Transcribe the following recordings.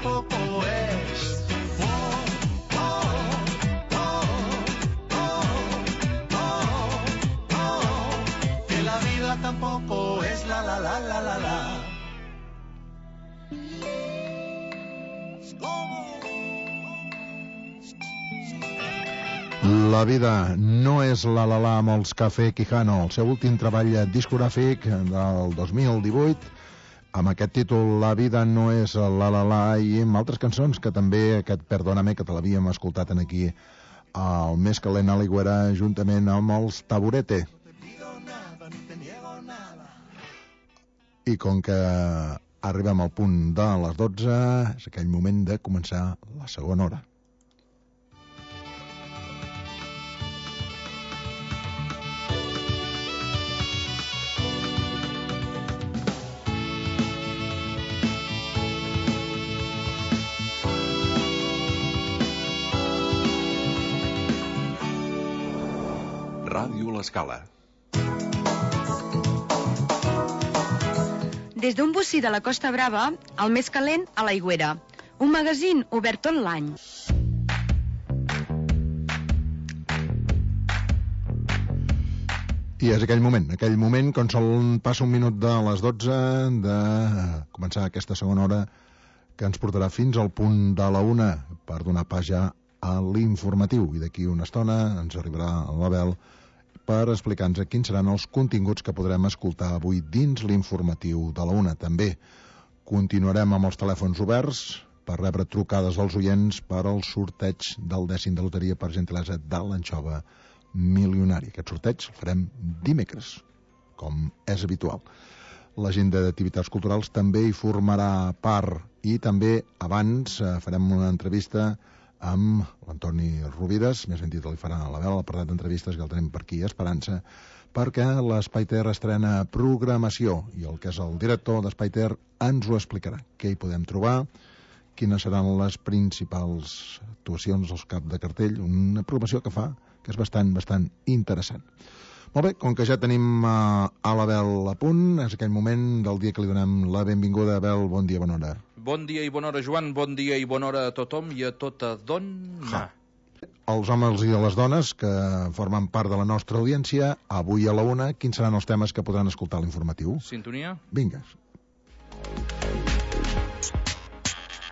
tampoco es. Que la vida tampoco es la la la la la la. La vida no és la la la amb els Café Quijano, el seu últim treball discogràfic del 2018, amb aquest títol La vida no és la la la, i amb altres cançons que també, aquest Perdóname, que te l'havíem escoltat aquí al Més Calent a l'Aigüera, juntament amb els Taburete. I com que arribem al punt de les 12, és aquell moment de començar la segona hora. Ràdio L'Escala. Des d'un bocí de la Costa Brava, el Més Calent a l'Aigüera. Un magazín obert tot l'any. I és aquell moment, quan sol passa un minut de les 12, de començar aquesta segona hora, que ens portarà fins al punt de la 1 per donar pas ja a l'informatiu. I d'aquí una estona ens arribarà l'Abel per explicar-nos quins seran els continguts que podrem escoltar avui dins l'informatiu de la 1. També continuarem amb els telèfons oberts per rebre trucades dels oients per al sorteig del 10 de loteria per gentilesa de l'Anxova Milionari. Aquest sorteig el farem dimecres, com és habitual. L'agenda d'activitats culturals també hi formarà part, i també abans farem una entrevista amb l'Antoni Rovires, més ben dit li farà a l'Abel, l'apartat d'entrevistes que el tenim per aquí, Esperança, perquè l'Espai Ter estrena programació, i el que és el director d'Espai Ter ens ho explicarà. Què hi podem trobar, quines seran les principals actuacions al cap de cartell, una programació que fa que és bastant interessant. Molt bé, com que ja tenim a l'Abel a punt, és aquell moment del dia que li donem la benvinguda. Abel, bon dia, bona hora. Bon dia i bona hora, Joan, bon dia i bona hora a tothom i a tota dona. Els homes i les dones que formen part de la nostra audiència, avui a la 1, quins seran els temes que podran escoltar a l'informatiu? Sintonia? Vinga.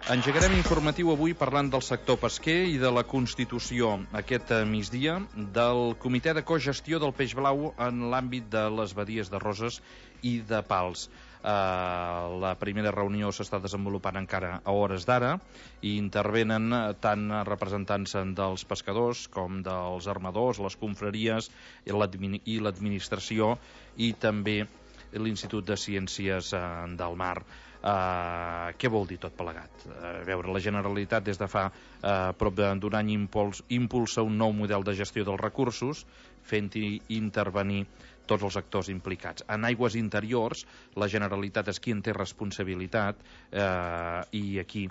Engegarem informatiu avui parlant del sector pesquer i de la constitució aquest migdia del Comitè de Cogestió del Peix Blau en l'àmbit de les badies de Roses i de Pals. La primera reunió s'està desenvolupant encara a hores d'ara i intervenen tant representants dels pescadors com dels armadors, les confraries i l'administració, i també l'Institut de Ciències del Mar. Què vol dir tot plegat? A veure, la Generalitat des de fa prop d'un any impulsa un nou model de gestió dels recursos, fent-hi intervenir tots els actors implicats. En aigües interiors, la Generalitat és qui en té responsabilitat, i aquí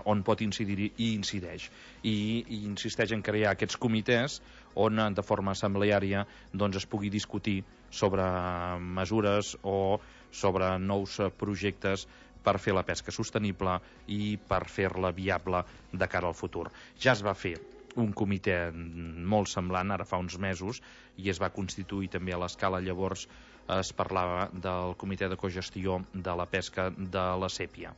on pot incidir i incideix, i insisteix en crear aquests comitès on de forma assembleària es pugui discutir sobre mesures o sobre nous projectes per fer la pesca sostenible i per fer-la viable de cara al futur. Ja es va fer un comitè molt semblant ara fa uns mesos i es va constituir també a l'Escala. Llavors es parlava del comitè de cogestió de la pesca de la sèpia.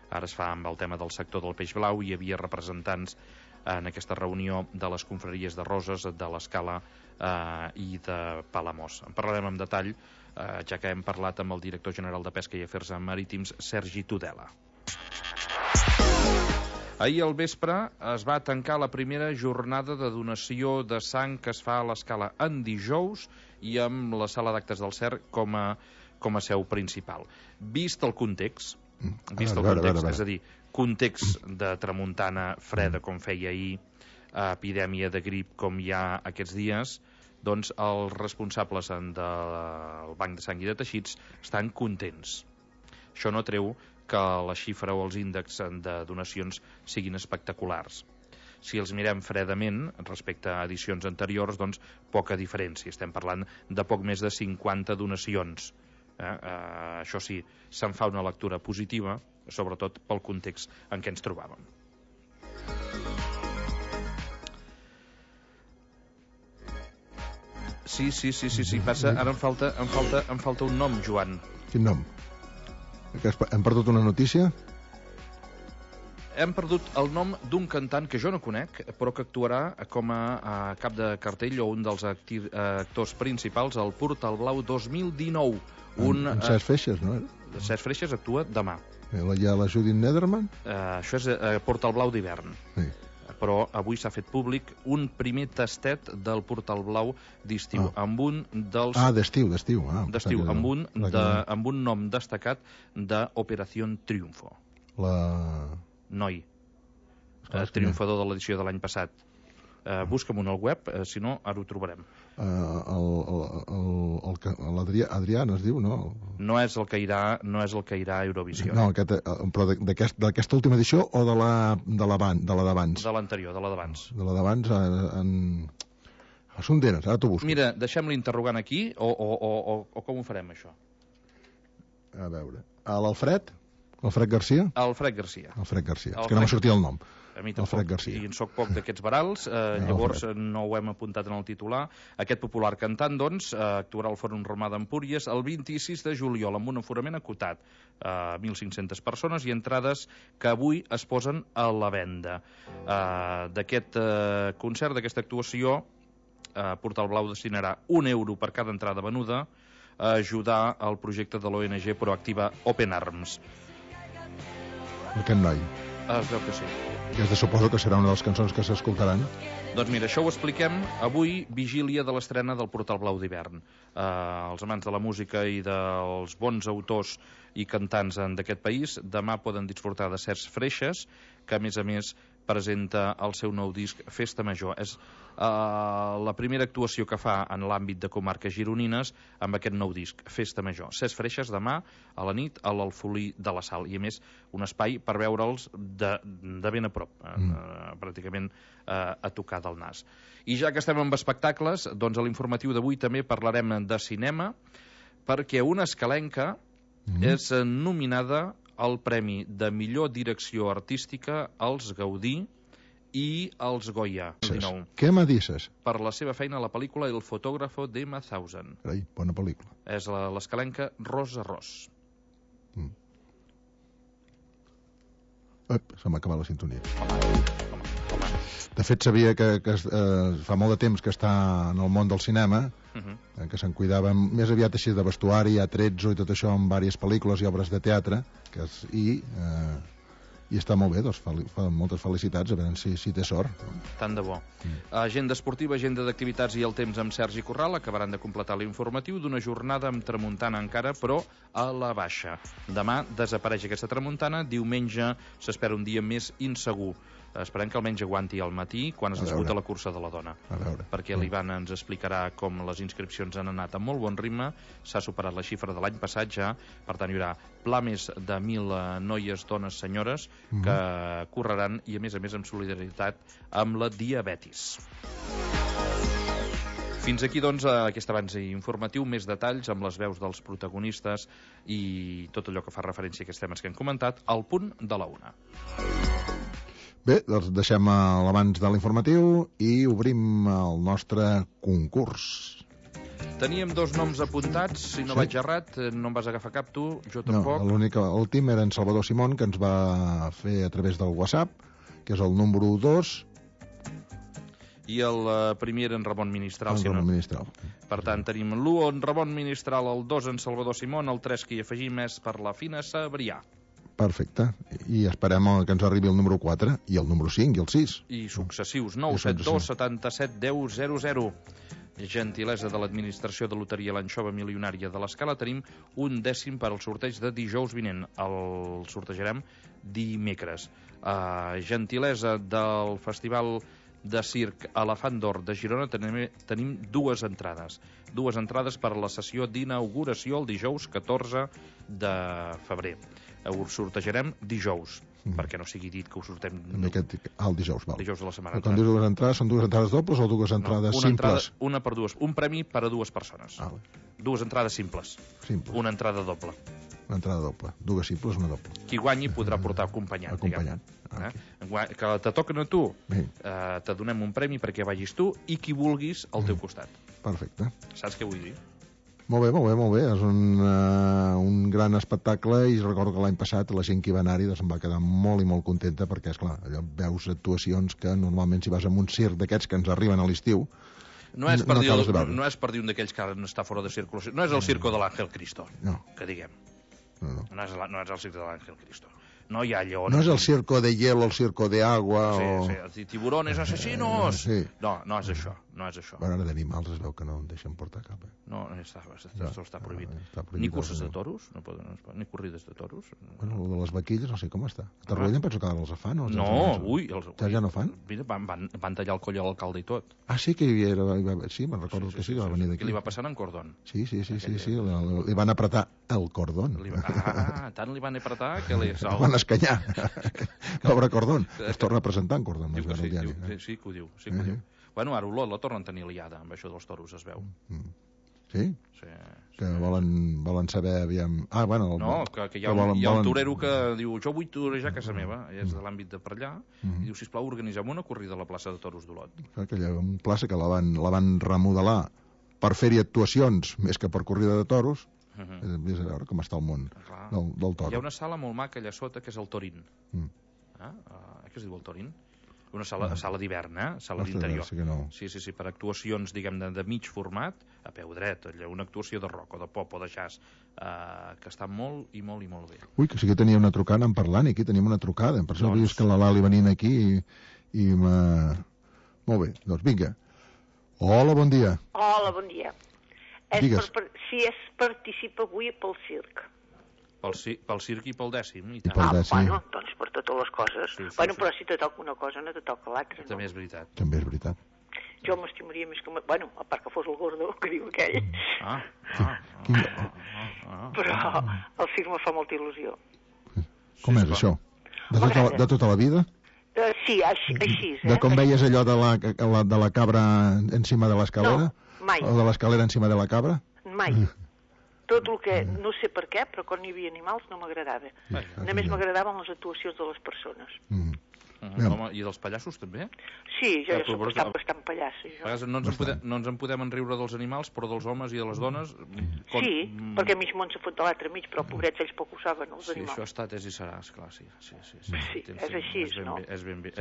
Ara es fa amb el tema del sector del peix blau. Hi havia representants en aquesta reunió de les confraries de Roses, de l'Escala i de Palamós. En parlarem en detall, ja que hem parlat amb el director general de Pesca i Afers Marítims, Sergi Tudela. Ahir al vespre es va tancar la primera jornada de donació de sang que es fa a l'Escala en dijous i amb la sala d'actes del CER com a seu principal. Vist el context, és a dir, context de tramuntana freda com feia ahir, epidèmia de grip com hi ha aquests dies, doncs els responsables del Banc de Sang i de Teixits estan contents. Això no treu que la xifra o els índexs de donacions siguin espectaculars. Si els mirem fredament respecte a edicions anteriors, doncs poca diferència. Estem parlant de poc més de 50 donacions. Això sí, se'n fa una lectura positiva, sobretot pel context en què ens trobàvem. Sí, passa, ara em falta un nom, Joan. Quin nom? Hem perdut una notícia? Hem perdut el nom d'un cantant que jo no conec, però que actuarà com a cap de cartell o un dels actors principals al Portal Blau 2019. En Cesc Freixes, no? Cesc Freixes actua demà. Hi ha la Judith Nederman? Això és Portal Blau d'hivern. Sí. Però avui s'ha fet públic un primer tastet del Portal Blau d'estiu, amb un dels... d'estiu. D'estiu, amb un nom destacat d'Operació Triunfo. Noi, triomfador de l'edició de l'any passat. Busca'm un al web, si no, ara ho trobarem. L'Adrià es diu, no? No és el que irà a Eurovisió. No, però d'aquesta última edició o de la d'abans? De l'anterior, de la d'abans. De la d'abans són d'eres, ara t'ho busco. Mira, deixem l'interrogant aquí o com ho farem, això? A veure, l'Alfred Garcia? Alfred Garcia. És que no m'ha sortit el nom. A mi tampoc, i en soc poc d'aquests barals, llavors no ho hem apuntat en el titular. Aquest popular cantant, doncs, actuarà al Fòrum Romà d'Empúries el 26 de juliol amb un aforament acotat a 1.500 persones i entrades que avui es posen a la venda. D'aquest concert, d'aquesta actuació, Portal Blau destinarà €1 per cada entrada venuda a ajudar al projecte de l'ONG Proactiva Open Arms. Aquest noi. Es veu que sí. Aquesta suposo que serà una de les cançons que s'escoltaran. Doncs mira, això ho expliquem avui, vigília de l'estrena del Portal Blau d'hivern. Els amants de la música i dels bons autors i cantants d'aquest país demà poden disfrutar de Cesc Freixes, que a més presenta el seu nou disc Festa Major. És la primera actuació que fa en l'àmbit de comarques gironines amb aquest nou disc, Festa Major. Cesc Freixes demà a la nit a l'Alfolí de la Sal, i a més un espai per veure'ls de ben a prop, pràcticament a tocar del nas. I ja que estem amb espectacles, doncs a l'informatiu d'avui també parlarem de cinema, perquè una escalenca és nominada al Premi de Millor Direcció Artística als Gaudí i als Goya. Què m'adisses? Per la seva feina a la pel·lícula El fotógrafo de Mauthausen. Carai, bona pel·lícula. És l'escalenca Ros a Ros. Se m'ha acabat la sintonia. De fet, sabia que fa molt de temps que està en el món del cinema, que se'n cuidava més aviat així de vestuari, atrezzo i tot això en diverses pel·lícules i obres de teatre, i està molt bé, doncs moltes felicitats, a veure si té sort. Tant de bo. Agenda esportiva, agenda d'activitats i el temps amb Sergi Corral acabaran de completar l'informatiu d'una jornada amb tramuntana encara, però a la baixa. Demà desapareix aquesta tramuntana, diumenge s'espera un dia més insegur. Esperem que almenys aguanti al matí quan es disputa la cursa de la dona, perquè l'Ivan ens explicarà com les inscripcions han anat a molt bon ritme, s'ha superat la xifra de l'any passat ja, per tant hi haurà pla més de 1.000 noies, dones, senyores que correran, i a més amb solidaritat amb la diabetis. Fins aquí, doncs, aquest avanç informatiu, més detalls amb les veus dels protagonistes i tot allò que fa referència a aquests temes que hem comentat al punt de la 1. Bé, doncs deixem l'abans de l'informatiu i obrim el nostre concurs. Teníem 2 noms apuntats, si no vaig errat, no em vas agafar cap tu, jo tampoc. No, l'últim era en Salvador Simón, que ens va fer a través del WhatsApp, que és el número 2. I el primer era en Ramon Ministral. Ministral. Per tant, tenim l'1 en Ramon Ministral, el 2 en Salvador Simón, el 3 que hi afegim és per la Fina Sabrià. Perfecte. I esperem que ens arribi el número 4 i el número 5 i el 6. I successius. 972 77 10 00. Gentilesa de l'Administració de Loteria L'Anxova Milionària de l'Escala. Tenim un dècim per al sorteig de dijous vinent. El sortejarem dimecres. Gentilesa del Festival de Circ Elefant d'Or de Girona. Tenim 2 entrades. 2 entrades per a la sessió d'inauguració el dijous 14 de febrer. Ho sortejarem dijous, perquè no sigui dit que ho sortem... El dijous, val. Dijous de la setmana. Quan dius 2 entrades, són 2 entrades dobles o 2 entrades simples? Una per 2. Un premi per a 2 persones. 2 entrades simples. Una entrada doble. Una entrada doble. Dues simples, una doble. Qui guanyi podrà portar acompanyat. Que te toquen a tu, te donem un premi perquè vagis tu i qui vulguis al teu costat. Perfecte. Saps què vull dir? Molt bé. És un gran espectacle i recordo que l'any passat la gent que hi va anar-hi se'n va quedar molt i molt contenta perquè, esclar, allò veus actuacions que normalment si vas a un circ d'aquests que ens arriben a l'estiu no és per dir un d'aquells que ara està fora de circulació. No és el circo de l'Àngel Cristo, que diguem. No és el circo de l'Àngel Cristo. No hi ha lleons. No és el circo de hielo, el circo de agua Sí, tiburones asesinos. Sí. No és això. Bueno, ara d'animals es veu que no en deixen portar cap. No, està prohibit. Ni curses de toros, ni corrides de toros. Bueno, el de les vaquilles no sé com està. A Torroella penso que ara els fan. Ja no fan? Mira, van tallar el coll a l'alcalde i tot. Ah, sí, que hi era. Sí, me'n recordo que sí, que va venir d'aquí. Què li va passar en Cordón? Sí, li van apretar el cordón. Tant li van apretar que li van escanyar. Pobre Cordón. Es torna a presentar en Cordón. Sí, que ho diu. Bueno, ara Olot la tornen a tenir liada amb això dels toros, es veu. Sí? Que volen saber, aviam... Que hi ha un torero que diu jo vull torejar a casa meva, és de l'àmbit de per allà, i diu, sisplau, organitzem una corrida a la plaça de toros d'Olot. Aquella plaça que la van remodelar per fer-hi actuacions més que per corrida de toros. Vés a veure com està el món del toro. Hi ha una sala molt maca allà sota que és el Torín. Què es diu el Torín? Una sala d'hivern, sala d'interior. Sí, per actuacions, diguem, de mig format, a peu dret, una actuació de rock o de pop o de jazz, que està molt i molt i molt bé. Ui, que sí que tenia una trucada en parlant, i aquí tenim una trucada, per això veus que la Lali venint aquí i molt bé, doncs vinga. Hola, bon dia. Hola, bon dia. Digues. Si es participa avui pel circ. Pel circ i pel dècim. Bueno, doncs per totes les coses. Però si te toca una cosa no te toca l'altra. També és veritat. Jo m'estimaria més que... Bueno, a part que fos el Gordo, que diu aquell. Però el circ me fa molta il·lusió. Com és això? De tota la vida? Sí, així. De com veies allò de la cabra encima de l'escalera? No, mai. O de l'escalera encima de la cabra? Mai. Tot el que, no sé per què, però quan hi havia animals no m'agradava. Només m'agradaven les actuacions de les persones. I dels pallassos també? Sí, jo ja soc bastant pallassa. A vegades no ens en podem enriure dels animals, però dels homes i de les dones... Sí, perquè mig món s'ha fot de l'altre mig, però pobrets ells poc ho saben, els animals. Sí, això ha estat, és i serà, esclar, sí. Sí, és així, no? És ben bé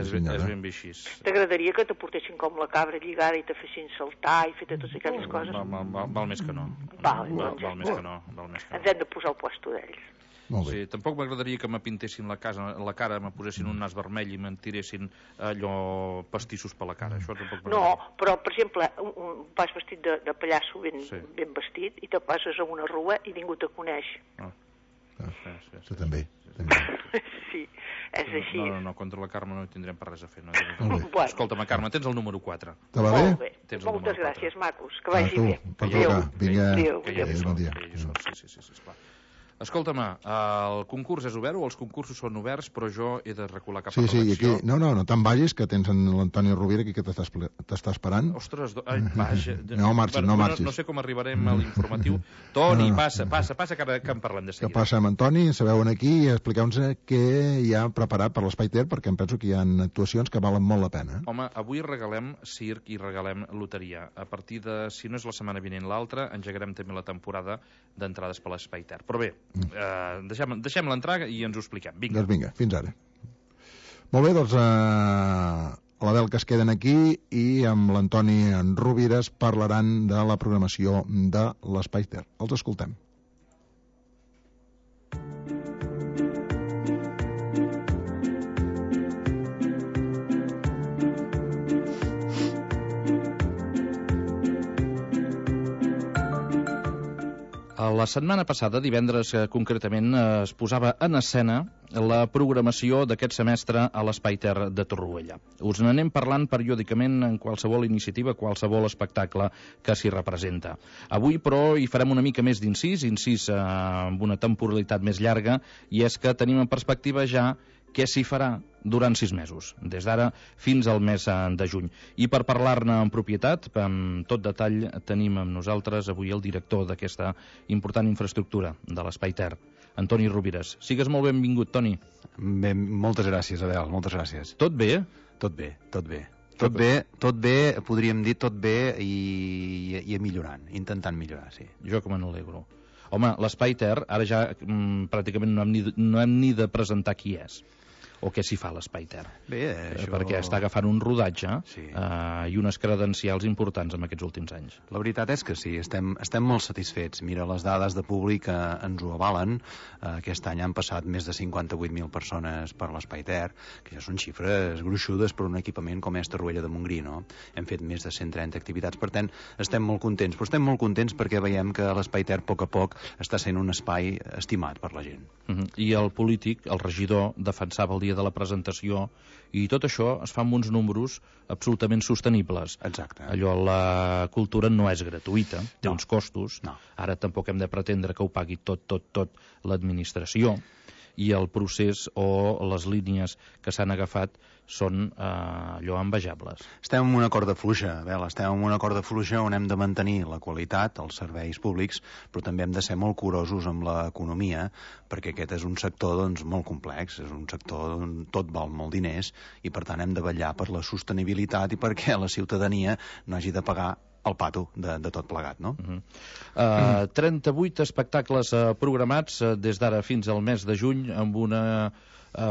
així. T'agradaria que te portessin com la cabra lligada i te fessin saltar i fer totes aquelles coses? Val més que no. Val més que no. Ens hem de posar al puesto d'ells. Sí, tampoc m'agradaria que me pintessin la cara, me posessin un nas vermell i me'n tiressin allò pastissos per la cara. Això tampoc m'agradaria. No, però, per exemple, vas vestit de pallasso ben vestit i te passes a una rua i ningú te coneix. Això també. Sí, és així. No, contra la Carme no hi tindrem per res a fer. Escolta'm, Carme, tens el número 4. Te va bé? Molt bé. Moltes gràcies, macos. Que vagi bé. Adéu. Adéu. Bon dia. Sí, esclar. Escolta'm, el concurs és obert o els concursos són oberts, però jo he de recular cap a redacció. Sí, aquí... No te'n vagis, que tens l'Antoni Rovira aquí que t'està esperant. Ostres, vaja... No marxis. No sé com arribarem a l'informatiu. Toni, passa, que en parlem de seguida. Que passa amb Antoni, sabeu aquí i expliqueu-nos què hi ha preparat per l'Espai Ter, perquè em penso que hi ha actuacions que valen molt la pena. Home, avui regalem circ i regalem loteria. A partir de, si no és la setmana vinent l'altra, engegarem també la temporada d'entrades per l'Espai Ter. Però bé, deixem l'entrar i ens ho expliquem. Doncs vinga, fins ara. Molt bé, doncs a la veu que es queden aquí i amb l'Antoni Rovires parlaran de la programació de l'Espai Ter. Els escoltem. La setmana passada, divendres concretament, es posava en escena la programació d'aquest semestre a l'Espai Ter de Torroella. Us n'anem parlant periòdicament en qualsevol iniciativa, qualsevol espectacle que s'hi representa. Avui, però, hi farem una mica més d'incís amb una temporalitat més llarga, i és que tenim en perspectiva ja què s'hi farà durant 6 mesos, des d'ara fins al mes de juny. I per parlar-ne en propietat, amb tot detall, tenim amb nosaltres avui el director d'aquesta important infraestructura de l'Espai Ter, Antoni Rovires. Sigues molt benvingut, Toni. Bé, moltes gràcies, Abel, moltes gràcies. Tot bé? Tot bé, tot bé. Tot bé, podríem dir tot bé i millorant, intentant millorar, sí. Jo que me n'alegro. Home, l'Espai Ter, ara ja pràcticament no hem ni de presentar qui és o què s'hi fa a l'Espai Ter. Bé, això... Perquè està agafant un rodatge sí. I unes credencials importants en aquests últims anys. La veritat és que sí, estem molt satisfets. Mira, les dades de públic ens ho avalen. Aquest any han passat més de 58.000 persones per l'Espai Ter, que ja són xifres gruixudes per un equipament com és Torroella de Montgrí, no? Hem fet més de 130 activitats, per tant, estem molt contents. Però estem molt contents perquè veiem que l'Espai Ter, a poc està sent un espai estimat per la gent. I el polític, el regidor, defensava el dia de la presentació, i tot això es fa amb uns números absolutament sostenibles. Exacte. Allò, la cultura no és gratuïta, té uns costos. No. Ara tampoc hem de pretendre que ho pagui tot l'administració, i el procés o les línies que s'han agafat són allò envejables. Estem en una corda fluixa, Abel, estem en una corda fluixa on hem de mantenir la qualitat, els serveis públics, però també hem de ser molt curosos amb l'economia, perquè aquest és un sector doncs, molt complex, és un sector on tot val molt diners, i per tant hem de vetllar per la sostenibilitat i perquè la ciutadania no hagi de pagar el pato de tot plegat, no? 38 espectacles programats des d'ara fins al mes de juny, amb una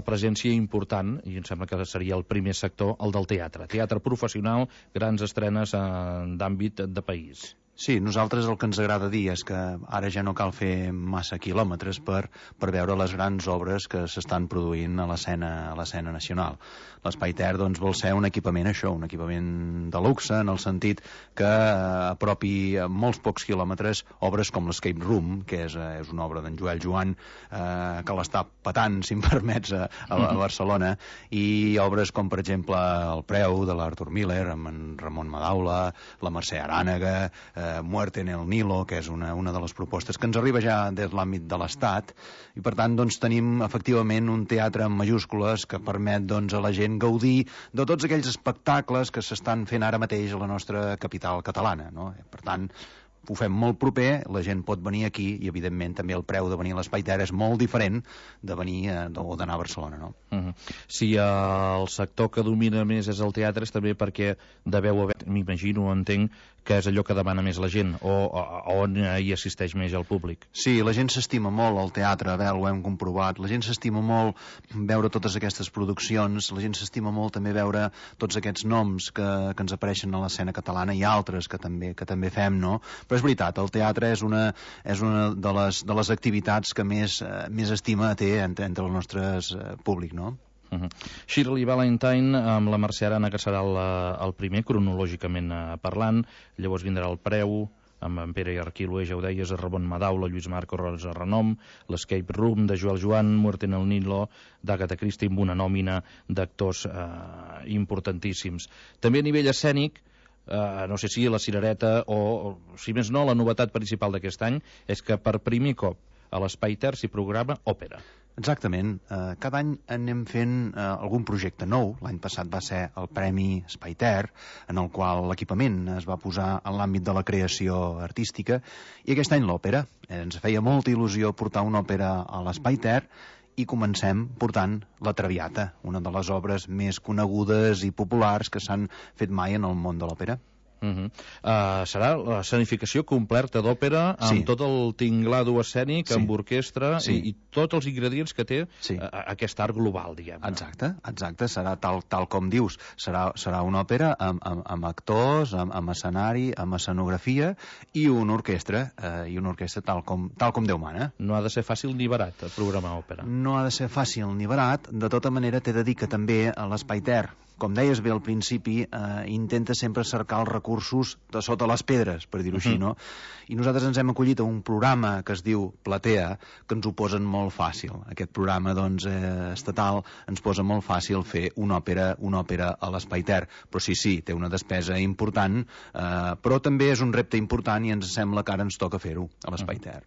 presència important, i em sembla que seria el primer sector, el del teatre. Teatre professional, grans estrenes d'àmbit de país. Sí, nosaltres el que ens agrada dir és que ara ja no cal fer massa quilòmetres per veure les grans obres que s'estan produint a l'escena nacional. L'Espai Ter doncs, vol ser un equipament un equipament de luxe, en el sentit que apropi a molts pocs quilòmetres obres com l'Escape Room, que és una obra d'en Joel Joan, que l'està patant, si em permets, a Barcelona, i obres com, per exemple, El Preu, de l'Arthur Miller, amb en Ramon Madaula, la Mercè Arànega, Muerte en el Nilo, que és una de les propostes que ens arriba ja des de l'àmbit de l'Estat, i per tant doncs, tenim efectivament un teatre en majúscules que permet doncs, a la gent gaudir de tots aquells espectacles que s'estan fent ara mateix a la nostra capital catalana, no? Per tant, ho fem molt proper, la gent pot venir aquí i evidentment també el preu de venir a l'Espai Ter és molt diferent de venir o d'anar a Barcelona, no? Si el sector que domina més és el teatre, és també perquè deveu haver, m'imagino, entenc, que és allò que demana més la gent, o on hi assisteix més el públic. Sí, la gent s'estima molt el teatre, Abel, ho hem comprovat, la gent s'estima molt veure totes aquestes produccions, la gent s'estima molt també veure tots aquests noms que ens apareixen a l'escena catalana i altres que també fem, no? Però és veritat, el teatre és una de les activitats que més estima té entre el nostre públic, no? Shirley Valentine amb la Mercè Arana, que serà el primer cronològicament parlant, llavors vindrà El Preu amb en Pere Arquilue, ja ho deies, Ramon Madaula, Lluís Marco Rosa Renom, l'Escape Room de Joel Joan, Muerte en el Nilo d'Agatha Christie, amb una nòmina d'actors importantíssims. També a nivell escènic, no sé si la Cirereta o si més no, la novetat principal d'aquest any és que per primer cop a l'Espai Ter s'hi programa òpera. Exactament. Cada any anem fent algun projecte nou. L'any passat va ser el Premi Espai Ter, en el qual l'equipament es va posar en l'àmbit de la creació artística, i aquest any l'òpera. Ens feia molta il·lusió portar una òpera a l'Espai Ter, i comencem portant La Traviata, una de les obres més conegudes i populars que s'han fet mai en el món de l'òpera. Serà la escenificació completa d'òpera amb tot el tinglado escènic, amb orquestra i tots els ingredients que té aquest art global, diguem. Exacte, serà tal com dius, serà una òpera amb actors, amb escenari, amb escenografia i una orquestra tal com Déu mana. No ha de ser fàcil ni barat programar òpera. No ha de ser fàcil ni barat, de tota manera t'he de dir que també a l'Espai Ter, com deies bé al principi, intenta sempre cercar els recursos de sota les pedres, per dir-ho així, no? I nosaltres ens hem acollit a un programa que es diu Platea, que ens ho posen molt fàcil. Aquest programa, doncs, estatal, ens posa molt fàcil fer una òpera a l'Espai Ter. Però sí, té una despesa important, però també és un repte important i ens sembla que ara ens toca fer-ho a l'Espai Ter.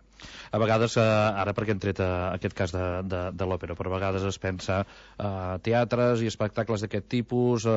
A vegades, ara perquè hem tret aquest cas de l'òpera, però a vegades es pensa teatres i espectacles d'aquest tipus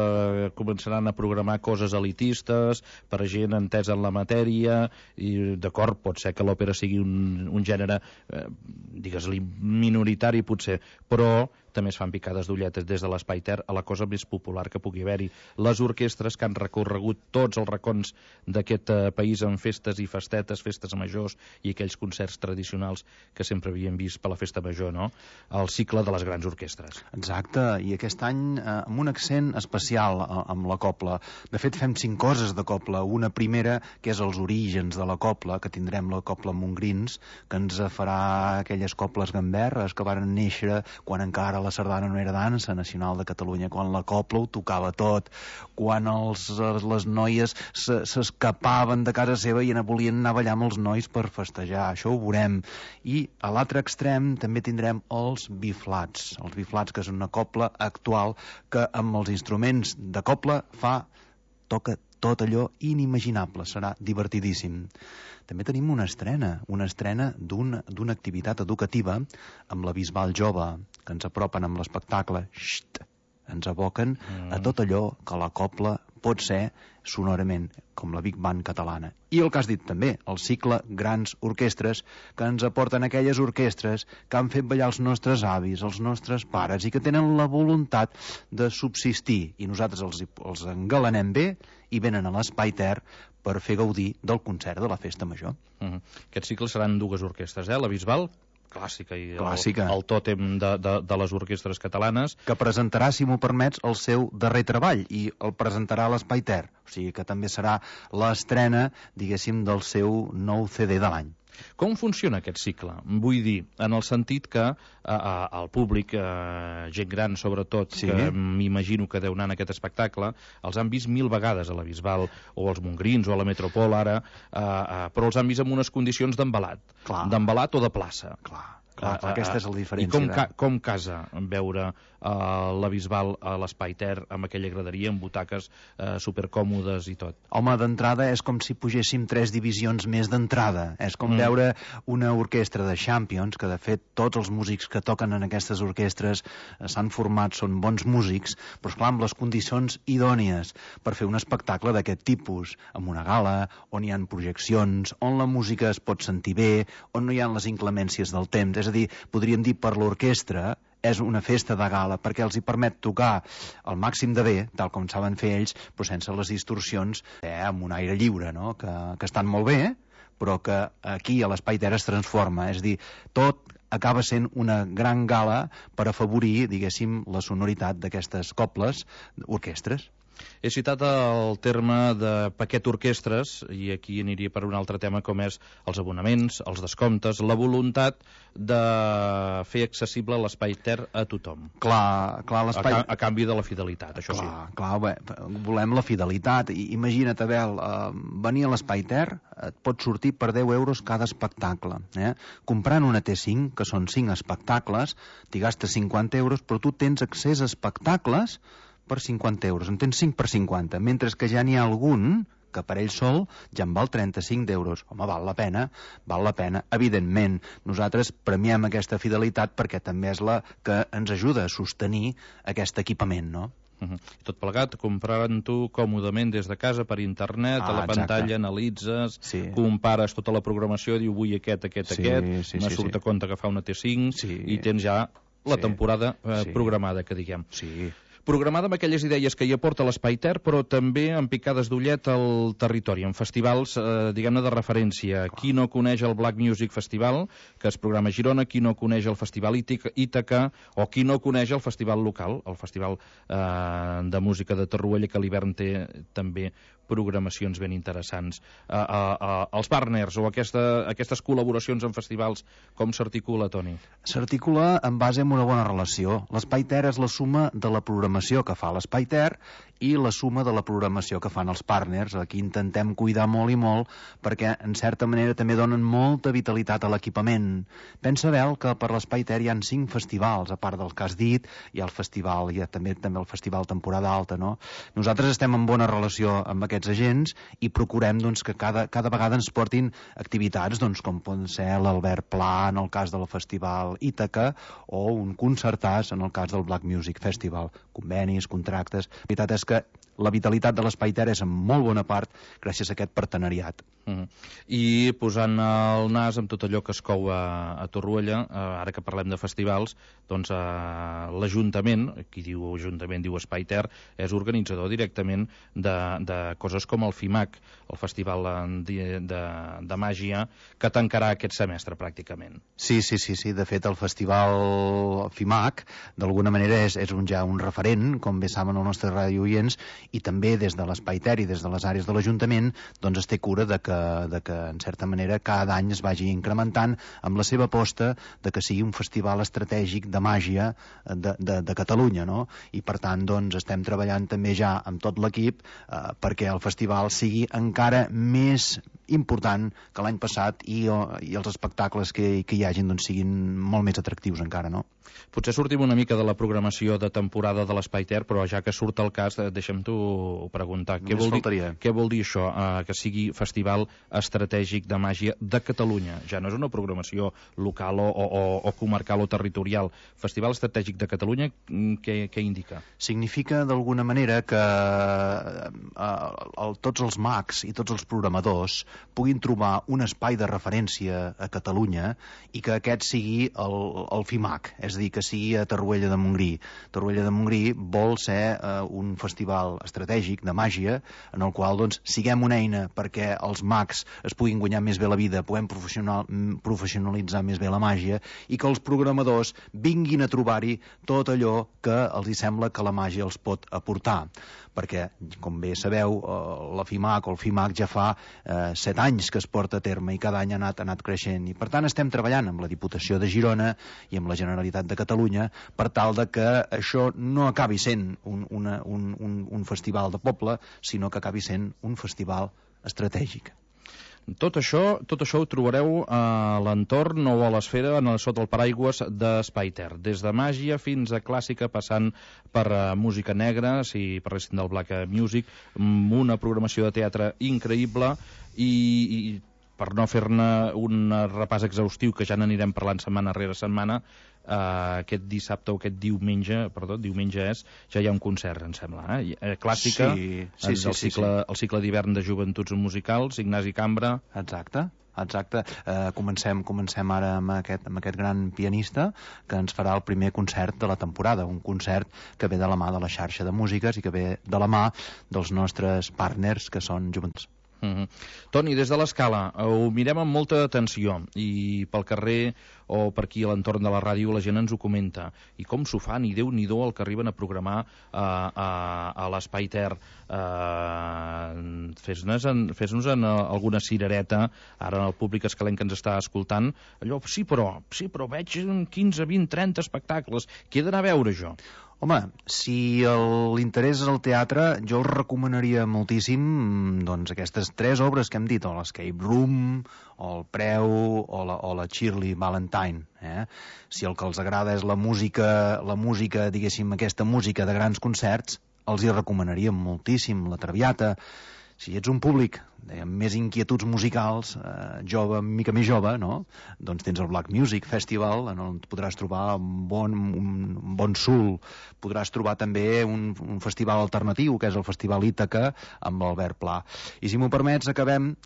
començaran a programar coses elitistes per a gent entesa en la matèria, i d'acord, pot ser que l'òpera sigui un gènere, digues-li, minoritari potser, però també es fan picades d'ulletes des de l'Espai Ter a la cosa més popular que pugui haver-hi. Les orquestres que han recorregut tots els racons d'aquest país en festes i festetes, festes majors i aquells concerts tradicionals que sempre havíem vist per la festa major, no? El cicle de les grans orquestres. Exacte, i aquest any amb un accent especial amb la cobla. De fet, fem 5 coses de cobla. Una primera, que és els orígens de la cobla, que tindrem la cobla Montgrins, que ens farà aquelles cobles gamberres que varen néixer quan encara la sardana no era dansa nacional de Catalunya, quan la cobla ho tocava tot, quan les noies s'escapaven de casa seva i volien anar a ballar amb els nois per festejar. Això ho veurem. I a l'altre extrem també tindrem els biflats. Els biflats, que és una cobla actual que amb els instruments de cobla toca tot allò inimaginable. Serà divertidíssim. També tenim una estrena d'una activitat educativa amb la Bisbal Jove, que ens apropen amb l'espectacle. Ens aboquen a tot allò que la cobla pot ser sonorament, com la Big Band catalana. I el que has dit també, el cicle Grans Orquestres, que ens aporten aquelles orquestres que han fet ballar els nostres avis, els nostres pares, i que tenen la voluntat de subsistir, i nosaltres els engalanem bé i venen a l'Espai Ter per fer gaudir del concert de la Festa Major. Aquest cicle seran 2 orquestres, la Bisbal, clàssica, i el tòtem de les orquestres catalanes, que presentarà, si m'ho permets, el seu darrer treball, i el presentarà a l'Espai Ter, o sigui que també serà l'estrena, diguéssim, del seu nou CD de l'any. Com funciona aquest cicle? Vull dir, en el sentit que el públic, gent gran sobretot, que m'imagino que deu anar en aquest espectacle, els han vist 1000 vegades a la Bisbal, o als Montgrins, o a la Metropol ara, però els han vist en unes condicions d'embalat o de plaça. Aquesta és la diferència. I com casa veure la Bisbal a l'Espai Ter amb aquella graderia, amb butaques supercòmodes i tot? Home, d'entrada és com si pugéssim 3 divisions més d'entrada. És com veure una orquestra de Champions, que de fet tots els músics que toquen en aquestes orquestres s'han format, són bons músics, però esclar, amb les condicions idònies per fer un espectacle d'aquest tipus, amb una gala, on hi ha projeccions, on la música es pot sentir bé, on no hi ha les inclemències del temps. És a dir, podríem dir per l'orquestra és una festa de gala, perquè els hi permet tocar el màxim de bé, tal com saben fer ells, però sense les distorsions, amb un aire lliure, no? que estan molt bé, però que aquí a l'Espai Ter es transforma. És a dir, tot acaba sent una gran gala per afavorir, diguéssim, la sonoritat d'aquestes cobles orquestres. He citat el terme de paquet orquestres, i aquí aniria per un altre tema, com és els abonaments, els descomptes, la voluntat de fer accessible l'Espai Ter a tothom. Clar, l'espai... A canvi de la fidelitat, això sí. Clar, volem la fidelitat. Imagina't, Abel, venir a l'Espai Ter et pot sortir per 10 euros cada espectacle. Comprant una T5, que són 5 espectacles, t'hi gastes 50 euros, però tu tens accés a espectacles per 50 euros, en tens 5 per 50, mentre que ja n'hi ha algun que per ell sol ja en val 35 d'euros. Home, val la pena, evidentment. Nosaltres premiem aquesta fidelitat perquè també és la que ens ajuda a sostenir aquest equipament, no? Tot plegat, comprant-ho còmodament des de casa per internet, a la pantalla analitzes, compares tota la programació, diu vull aquest, me surt a compte que fa una T5 i tens ja la temporada programada, que diguem. Programada amb aquelles idees que hi aporta l'Espai Ter, però també amb picades d'ullet al territori, en festivals, diguem-ne, de referència. Qui no coneix el Black Music Festival, que es programa a Girona, qui no coneix el Festival Ítaca, o qui no coneix el festival local, el Festival de Música de Torroella, que a l'hivern té també programacions ben interessants. Els partners o aquestes col·laboracions en festivals, com s'articula, Toni? S'articula en base a una bona relació. L'Espai Ter és la suma de la programació programació que fa l'Espai Ter i la suma de la programació que fan els partners. Aquí intentem cuidar molt i molt perquè, en certa manera, també donen molta vitalitat a l'equipament. Pensa, Bel, que per l'Espai Ter hi ha 5 festivals, a part del que has dit, hi ha el festival, hi ha també el festival Temporada Alta, no? Nosaltres estem en bona relació amb aquests agents i procurem doncs, que cada vegada ens portin activitats com poden ser l'Albert Pla en el cas del festival Ítaca o un concertàs en el cas del Black Music Festival. Convenis, contractes... La veritat és que la vitalitat de l'Espai Ter és en molt bona part gràcies a aquest partenariat. I posant el nas amb tot allò que es cou a Torroella, ara que parlem de festivals, doncs l'Ajuntament, qui diu Ajuntament diu Espai Ter, és organitzador directament de coses com el FIMAC, el Festival de Màgia, que tancarà aquest semestre pràcticament. Sí. De fet, el Festival FIMAC d'alguna manera és ja un referent, com bé saben els nostres radioients, i també des de l'Espai Ter i des de les àrees de l'Ajuntament doncs es té cura de que en certa manera cada any es vagi incrementant amb la seva aposta de que sigui un festival estratègic de màgia de Catalunya, no? I per tant doncs estem treballant també ja amb tot l'equip perquè el festival sigui encara més important que l'any passat i els espectacles que hi hagin doncs siguin molt més atractius encara, no? Potser sortim una mica de la programació de temporada de l'Espai Ter, però ja que surt el cas, deixa'm t'ho preguntar. Què vol dir això, que sigui festival estratègic de màgia de Catalunya? Ja no és una programació local o comarcal o territorial. Festival estratègic de Catalunya, què indica? Significa d'alguna manera que tots els mags i tots els programadors puguin trobar un espai de referència a Catalunya i que aquest sigui el FIMAC, és a dir, que sigui a Torroella de Montgrí. Torroella de Montgrí vol ser un festival estratègic de màgia en el qual doncs, siguem una eina perquè els mags es puguin guanyar més bé la vida, puguem professionalitzar més bé la màgia i que els programadors vinguin a trobar-hi tot allò que els hi sembla que la màgia els pot aportar. Perquè, com bé sabeu, la FIMAC o el FIMAC ja fa 7 anys que es porta a terme i cada any ha anat creixent. I per tant estem treballant amb la Diputació de Girona i amb la Generalitat de Catalunya per tal de que això no acabi sent un festival de poble, sinó que acabi sent un festival estratègic. Tot això ho trobareu a l'entorn o a l'esfera sota el paraigües d'Espai Ter. Des de màgia fins a clàssica, passant per música negra, si parlessin del Black Music, una programació de teatre increïble i per no fer-ne un repàs exhaustiu, que ja n'anirem parlant setmana rere setmana, aquest dissabte o aquest diumenge ja hi ha un concert, em sembla, clàssica, sí. El cicle d'hivern de joventuts musicals, Ignasi Cambra. Exacte. Comencem ara amb aquest gran pianista que ens farà el primer concert de la temporada, un concert que ve de la mà de la xarxa de músiques i que ve de la mà dels nostres partners que són joventuts. Toni, des de l'Escala ho mirem amb molta atenció i pel carrer o per aquí a l'entorn de la ràdio la gent ens ho comenta i com s'ho fan, i Déu-n'hi-do el que arriben a programar a l'Espai Ter. Fes-nos alguna cirereta ara el públic escalenc que ens està escoltant, allò, sí però veig 15, 20, 30 espectacles, què he d'anar a veure jo? Home, si l'interès és el teatre, jo els recomanaria moltíssim doncs, aquestes 3 obres que hem dit, o l'Escape Room, o el Preu, o la Shirley Valentine. Si el que els agrada és la música, diguéssim, aquesta música de grans concerts, els hi recomanaria moltíssim la Traviata. Si ets un públic amb més inquietuds musicals, jove, mica més jove, no? Doncs tens el Black Music Festival, on podràs trobar un bon soul. Podràs trobar també un festival alternatiu, que és el Festival Ítaca, amb l'Albert Pla. I si m'ho permets, acabem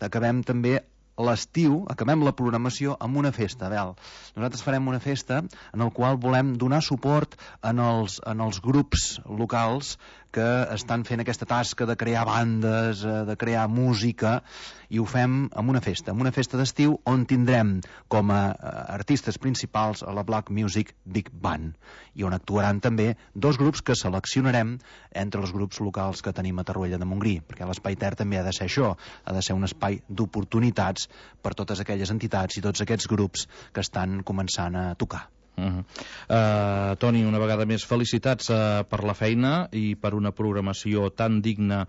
també l'estiu, acabem la programació amb una festa, Bel. Nosaltres farem una festa en la qual volem donar suport en els grups locals que estan fent aquesta tasca de crear bandes, de crear música, i ho fem amb una festa d'estiu on tindrem com a artistes principals a la Black Music Big Band, i on actuaran també 2 grups que seleccionarem entre els grups locals que tenim a Torroella de Montgrí, perquè l'Espai Ter també ha de ser això, ha de ser un espai d'oportunitats per totes aquelles entitats i tots aquests grups que estan començant a tocar. Toni, una vegada més, felicitats per la feina i per una programació tan digna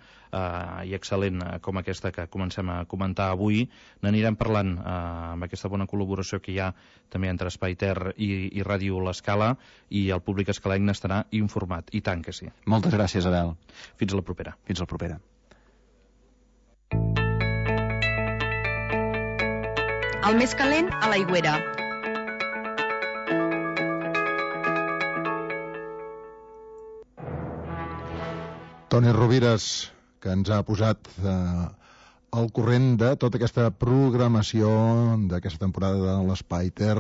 i excel·lent com aquesta que comencem a comentar avui. N'anirem parlant amb aquesta bona col·laboració que hi ha també entre Espai Ter i Ràdio L'Escala, i el públic escalenc n'estarà informat, i tant que sí. Moltes gràcies, Abel. Fins a la propera. Fins a la propera. El més calent a l'Aigüera. Toni Rovires, que ens ha posat al corrent de tota aquesta programació d'aquesta temporada de l'Espai Ter,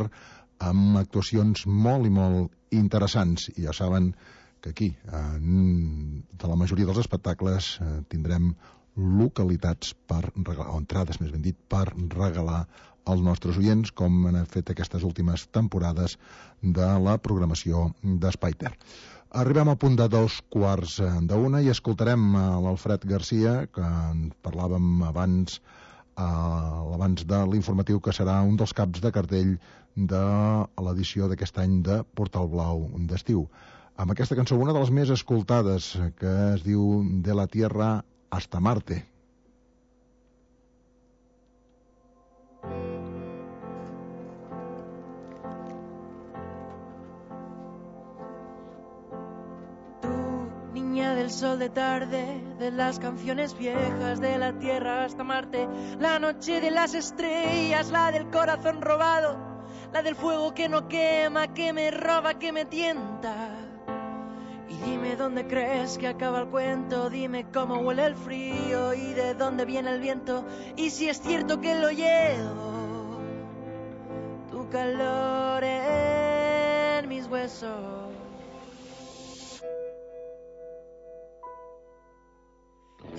amb actuacions molt i molt interessants. I ja saben que aquí, de la majoria dels espectacles, tindrem localitats per regalar, o entrades, més ben dit, per regalar als nostres oients, com han fet aquestes últimes temporades de la programació d'Espai Ter. Arribem al punt de 2:15 i escoltarem l'Alfred Garcia, que en parlàvem abans de l'informatiu, que serà un dels caps de cartell de l'edició d'aquest any de Portal Blau d'estiu. Amb aquesta cançó, una de les més escoltades, que es diu De la Tierra hasta Marte. Del sol de tarde, de las canciones viejas, de la tierra hasta Marte, la noche de las estrellas, la del corazón robado, la del fuego que no quema, que me roba, que me tienta. Y dime dónde crees que acaba el cuento, dime cómo huele el frío y de dónde viene el viento, y si es cierto que lo llevo, tu calor en mis huesos.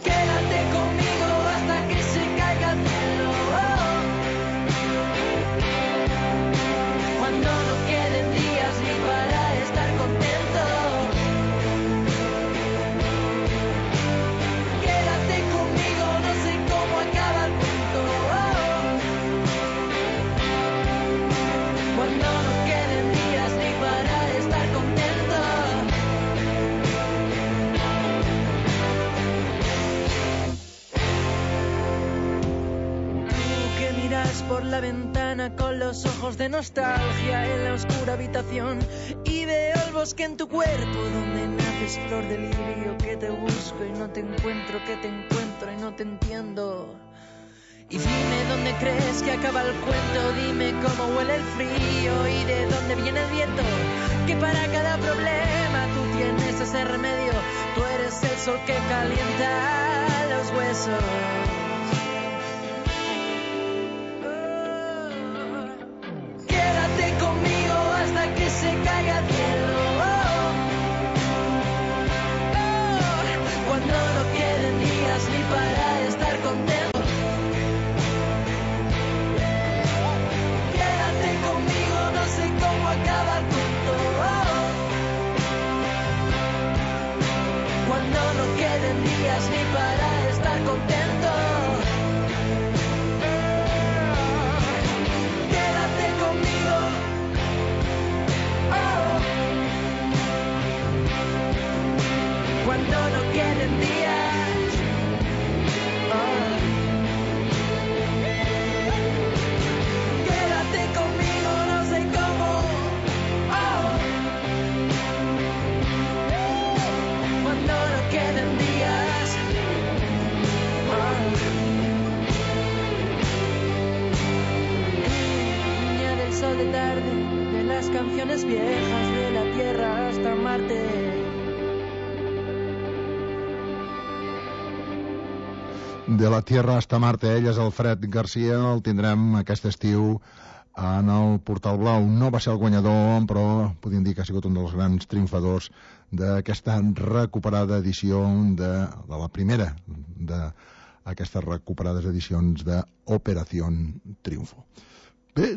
Quédate conmigo hasta que se caiga el cielo. Cuando no queden días ni para estar contento. Quédate conmigo, no sé cómo acaba el cuento. Cuando no queden días ni para estar contento. Por la ventana con los ojos de nostalgia en la oscura habitación y veo el bosque en tu cuerpo donde naces flor de lirio, que te busco y no te encuentro, que te encuentro y no te entiendo. Y dime dónde crees que acaba el cuento, dime cómo huele el frío y de dónde viene el viento, que para cada problema tú tienes ese remedio, tú eres el sol que calienta los huesos. Conmigo hasta que se caiga el cielo. Cuando no queden días ni para estar contento. Quédate conmigo, no sé cómo acaba el cuento. Cuando no queden días ni para estar contento. Cuando no queden días, quédate conmigo, no sé cómo, cuando no queden días, niña del sol de tarde, de las canciones viejas, de la tierra hasta Marte. De la Tierra hasta Marte, ell és Alfred Garcia, el tindrem aquest estiu en el Portal Blau. No va ser el guanyador, però podríem dir que ha sigut un dels grans triomfadors d'aquesta recuperada edició de la primera d'aquestes recuperades edicions d'Operación Triunfo. Bé,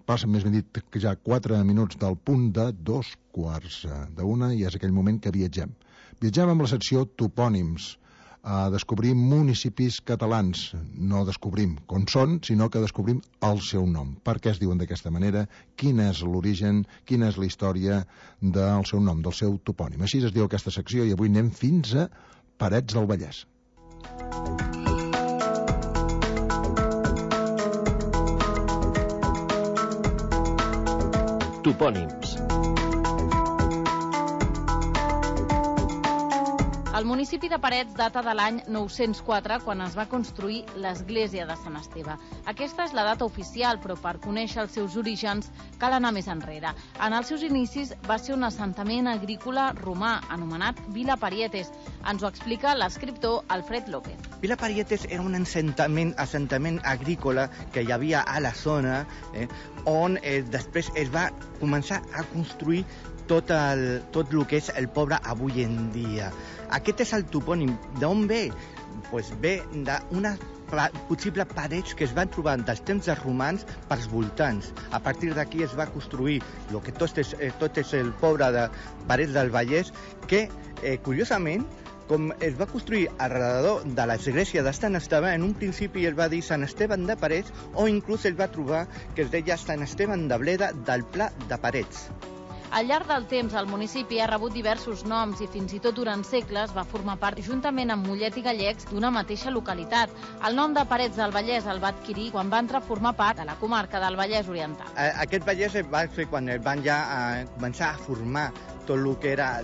passen més ben dit que ja 4 minuts del punt de 2:15 i és aquell moment que viatgem. Viatgem amb la secció Topònims, a descobrir municipis catalans. No descobrim com són, sinó que descobrim el seu nom. Per què es diuen d'aquesta manera, quin és l'origen, quina és la història del seu nom, del seu topònim. Així es diu aquesta secció i avui anem fins a Parets del Vallès. Topònims. El municipi de Parets data de l'any 904, quan es va construir l'església de Sant Esteve. Aquesta és la data oficial, però per conèixer els seus orígens cal anar més enrere. En els seus inicis va ser un assentament agrícola romà, anomenat Vila Parietes. Ens ho explica l'escriptor Alfred López. Vila Parietes era un assentament agrícola que hi havia a la zona, on després es va començar a construir tot el que és el poble avui en dia. Aquest és el topònim. D'on ve? Pues ve d'una possible parets que es van trobar dels temps dels romans pels voltants. A partir d'aquí es va construir el que tot és el poble de Parets del Vallès, que, curiosament, com es va construir alrededor de l'església de Sant Esteve, en un principi es va dir Sant Esteve de Parets, o inclús es va trobar que es deia Sant Esteve de Bleda del Pla de Parets. Al llarg del temps, el municipi ha rebut diversos noms i fins i tot durant segles va formar part, juntament amb Mollet i Gallecs, d'una mateixa localitat. El nom de Parets del Vallès el va adquirir quan va entrar a formar part de la comarca del Vallès Oriental. Aquest Vallès es va fer quan van ja començar a formar tot el que era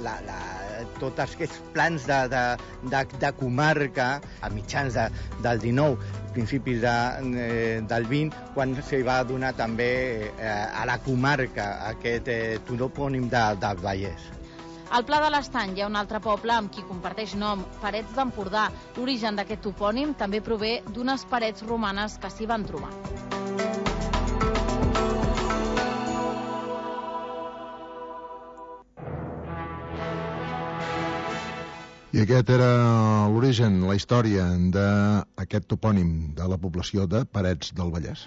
tots aquests plans de comarca a mitjans del 19, principis del 20, quan se va donar també a la comarca aquest topònim del Vallès. Al Pla de l'Estany hi ha un altre poble amb qui comparteix nom, Parets d'Empordà. L'origen d'aquest topònim també prové d'unes parets romanes que s'hi van trobar. I aquest era l'origen, la història d'aquest topònim de la població de Parets del Vallès.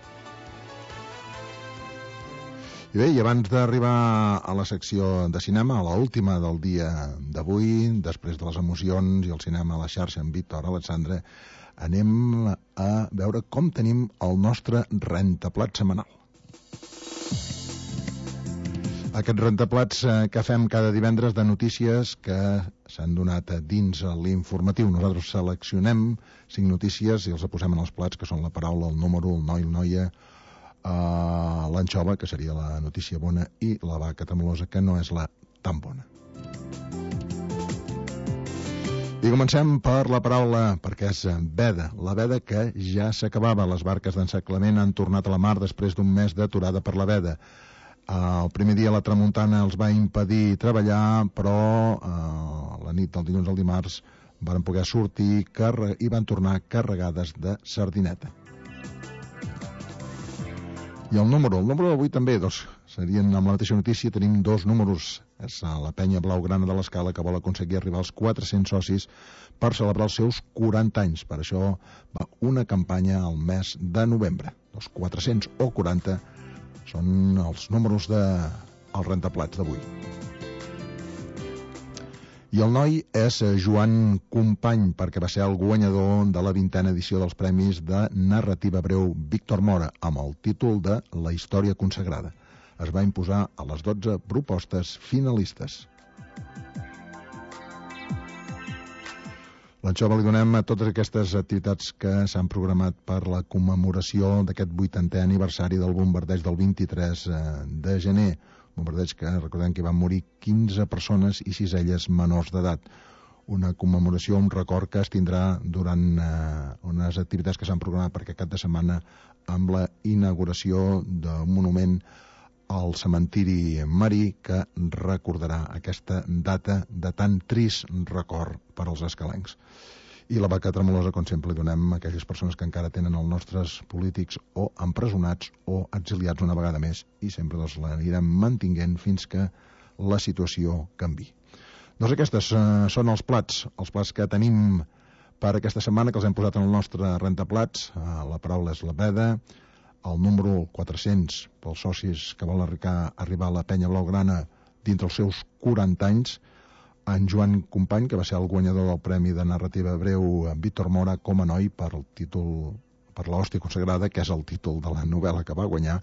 I bé, i abans d'arribar a la secció de cinema, a l'última del dia d'avui, després de les emocions i el cinema a la xarxa amb Víctor Alexandre, anem a veure com tenim el nostre rentaplat setmanal. Aquest rentaplats que fem cada divendres de notícies que s'han donat dins l'informatiu. Nosaltres seleccionem 5 notícies i els posem en els plats, que són la paraula, el número, el noi, noia, l'anxova, que seria la notícia bona, i la vaca tremolosa, que no és la tan bona. I comencem per la paraula, perquè és veda. La veda que ja s'acabava. Les barques d'encerclament han tornat a la mar després d'un mes d'aturada per la veda. El primer dia la tramuntana els va impedir treballar, però la nit del dilluns al dimarts van poder sortir i van tornar carregades de sardineta. I el número d'avui també, serien amb la mateixa notícia, tenim 2 números. És la penya blaugrana de l'Escala, que vol aconseguir arribar als 400 socis per celebrar els seus 40 anys. Per això va una campanya al mes de novembre. Els 400 o 40 són els números dels rentaplats d'avui. I el noi és Joan Company, perquè va ser el guanyador de la 20a edició dels Premis de Narrativa Breu Víctor Mora, amb el títol de La història consagrada. Es va imposar a les 12 propostes finalistes. L'anxova li donem a totes aquestes activitats que s'han programat per la commemoració d'aquest 80è aniversari del bombardeig del 23 de gener. Bombardeig que recordem que van morir 15 persones i 6 elles menors d'edat. Una commemoració, un record que es tindrà durant unes activitats que s'han programat per aquest cap de setmana amb la inauguració d'un monument al cementiri marí que recordarà aquesta data de tan trist record per als escalencs. I la vaca tremolosa, com sempre, li donem a aquelles persones que encara tenen els nostres polítics o empresonats o exiliats una vegada més, i sempre l'anirem mantinguent fins que la situació canvi. Doncs aquestes són els plats que tenim per aquesta setmana, que els hem posat en el nostre rentaplats. La paraula és la veda, el número 400 pels socis que volen arribar a la penya blaugrana dintre els seus 40 anys, en Joan Company, que va ser el guanyador del Premi de Narrativa Breu Víctor Mora com a noi per el títol, per l'Hòstia Consagrada, que és el títol de la novel·la que va guanyar.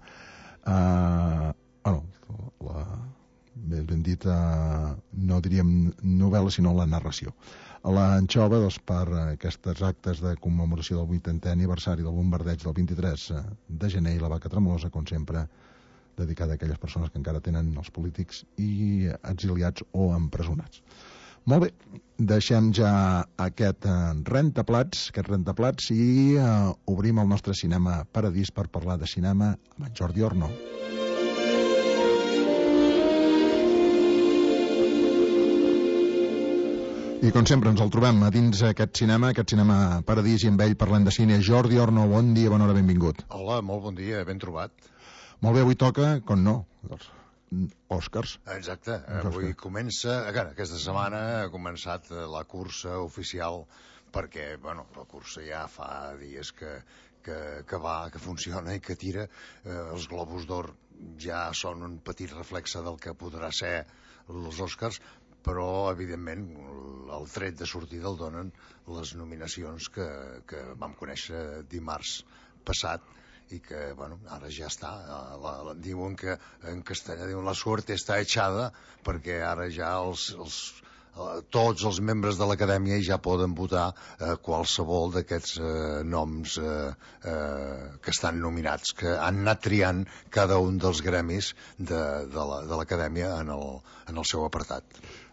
Ben dit, no diríem novel·la, sinó la narració. L'Anxova, doncs, per aquests actes de commemoració del 80è aniversari del bombardeig del 23 de gener, i la Vaca Tremolosa, com sempre, dedicada a aquelles persones que encara tenen els polítics i exiliats o empresonats. Molt bé, deixem ja aquest rentaplats i obrim el nostre cinema paradís per parlar de cinema amb en Jordi Orno. I com sempre ens el trobem a dins aquest cinema paradís, i amb ell parlant de cine. Jordi Orno, bon dia, bona hora, benvingut. Hola, molt bon dia, ben trobat. Molt bé, avui toca, com no, els Oscars. Exacte, avui comença, aquesta setmana ha començat la cursa oficial, perquè, bueno, la cursa ja fa dies que va, que funciona i que tira. Els Globus d'Or ja són un petit reflexe del que podrà ser els Oscars, però, evidentment, el tret de sortida el donen les nominacions que vam conèixer dimarts passat, i que, bueno, ara ja està. Diuen que en castellà diuen la suerte està echada, perquè ara ja tots els membres de l'acadèmia ja poden votar qualsevol d'aquests noms que estan nominats, que han anat triant cada un dels gremis de l'acadèmia en el seu apartat.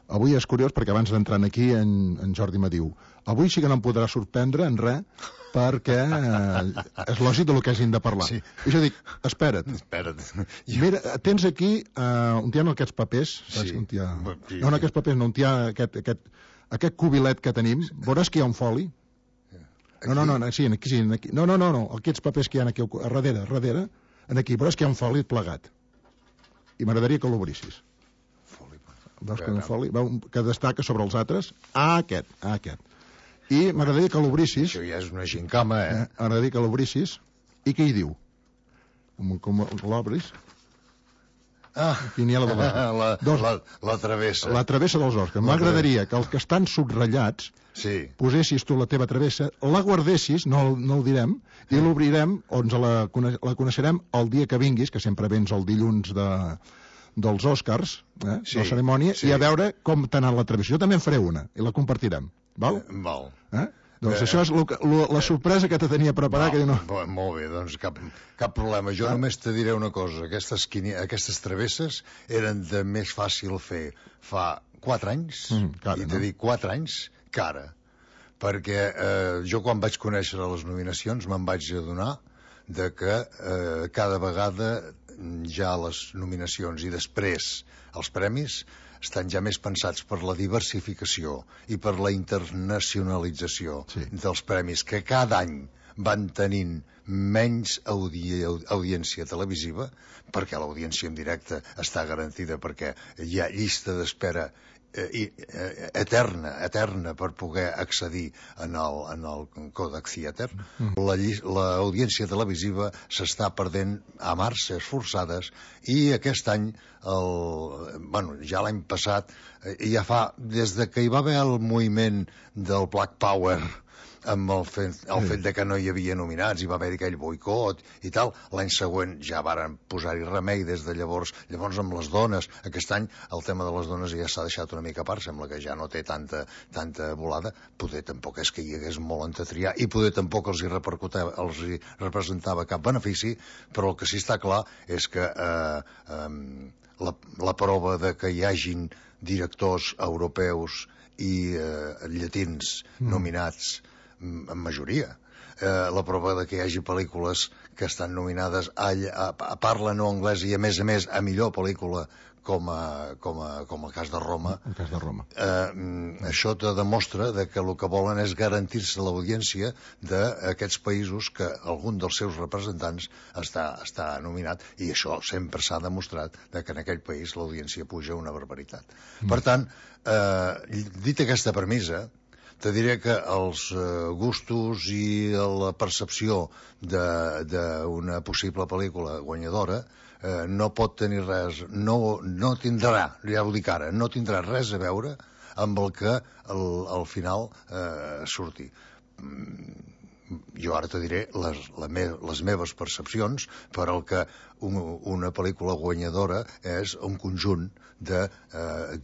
Avui és curiós perquè abans d'entrar aquí en Jordi me diu: avui sí que no em podrà sorprendre en res, perquè és lògic del que hagin de parlar. Sí. I jo dic, espera't. Mira, tens aquí, on hi ha aquests papers, saps? Sí. No, aquests papers, no, on hi ha aquest cubilet que tenim, veuràs que hi ha un foli. No, sí, aquí. No, aquests papers que hi ha aquí a darrere, aquí, veuràs que hi ha un foli plegat. I m'agradaria que l'obrissis. Veus que un foli que destaca sobre els altres? Aquest. I m'agradaria que l'obrissis. Això ja és una gincama, M'agradaria que l'obrissis. I què hi diu? Com l'obris? Quiniela de la travessa. La travessa dels Oscars. M'agradaria que els que estan subratlats posessis tu la teva travessa, la guardessis, no el direm, i l'obrirem, on la coneixerem el dia que vinguis, que sempre vens el dilluns dels Oscars, la cerimònia, i a veure com t'ha anat la travessa. Jo també en faré una, i la compartirem. Val? Val. Doncs això és la sorpresa que te tenia preparat. Molt bé, doncs cap problema. Jo només te diré una cosa. Aquestes travesses eren de més fàcil fer fa 4 anys, i te dic 4 anys, que ara. Perquè jo quan vaig conèixer les nominacions me'n vaig adonar de que cada vegada ja les nominacions i després els premis estan ja més pensats per la diversificació i per la internacionalització dels premis, que cada any van tenint menys audiència televisiva, perquè l'audiència en directe està garantida, perquè hi ha llista d'espera eterna per poder accedir en el Kodak Theater. L'audiència televisiva s'està perdent a marxes forçades, i aquest any, ja l'any passat, ja fa, des de que hi va haver el moviment del Black Power, amb el fet de que no hi havia nominats, hi va haver aquell boicot i tal, l'any següent ja varen posar-hi remei des de llavors amb les dones. Aquest any el tema de les dones ja s'ha deixat una mica a part, sembla que ja no té tanta volada. Poder tampoc és que hi hagués molt on triar, i poder tampoc els hi representava cap benefici, però el que sí està clar és que la prova de que hi hagin directors europeus i llatins nominats en majoria, la prova de que hi hagi pel·lícules que estan nominades a parla no anglès i a més a millor pel·lícula, com el cas de Roma. Això te demostra que el que volen és garantir-se l'audiència d'aquests països que algun dels seus representants està nominat, i això sempre s'ha demostrat que en aquell país l'audiència puja una barbaritat. Per tant, dit aquesta premissa, te diré que els gustos i la percepció d'una possible pel·lícula guanyadora no pot tenir res, no tindrà, ja ho dic ara, no tindrà res a veure amb el que al final surti. Jo ara te diré les meves percepcions, per al que una pel·lícula guanyadora és un conjunt de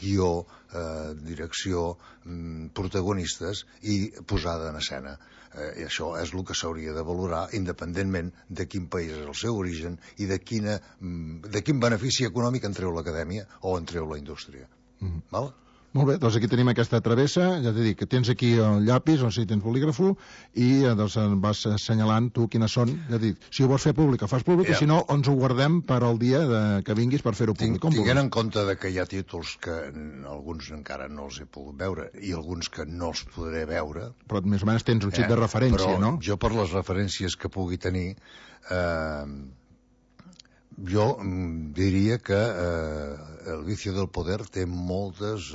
guió, direcció, protagonistes i posada en escena. I això és el que s'hauria de valorar independentment de quin país és el seu origen i de quin benefici econòmic en treu l'acadèmia o en treu la indústria. Val? Molt bé, doncs aquí tenim aquesta travessa, ja t'he dit que tens aquí el llapis, o sigui, tens bolígrafo, i doncs vas assenyalant tu quines són, ja t'he dit, si ho vols fer públic, fas públic, i si no, ens ho guardem per al dia que vinguis per fer-ho públic. Tinguent en compte que hi ha títols que alguns encara no els he pogut veure, i alguns que no els podré veure... Però més o menys tens un xic de referència, no? Però jo, per les referències que pugui tenir, jo diria que El vicio del poder té moltes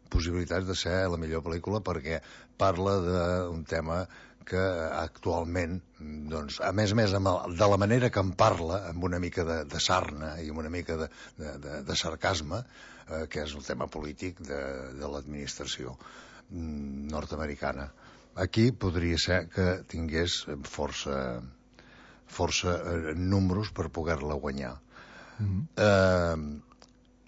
possibilitats de ser la millor pel·lícula, perquè parla d'un tema que actualment, doncs, a més de la manera que en parla, amb una mica de sarna i amb una mica de sarcasme, que és el tema polític de l'administració nord-americana. Aquí podria ser que tingués força números per poder-la guanyar.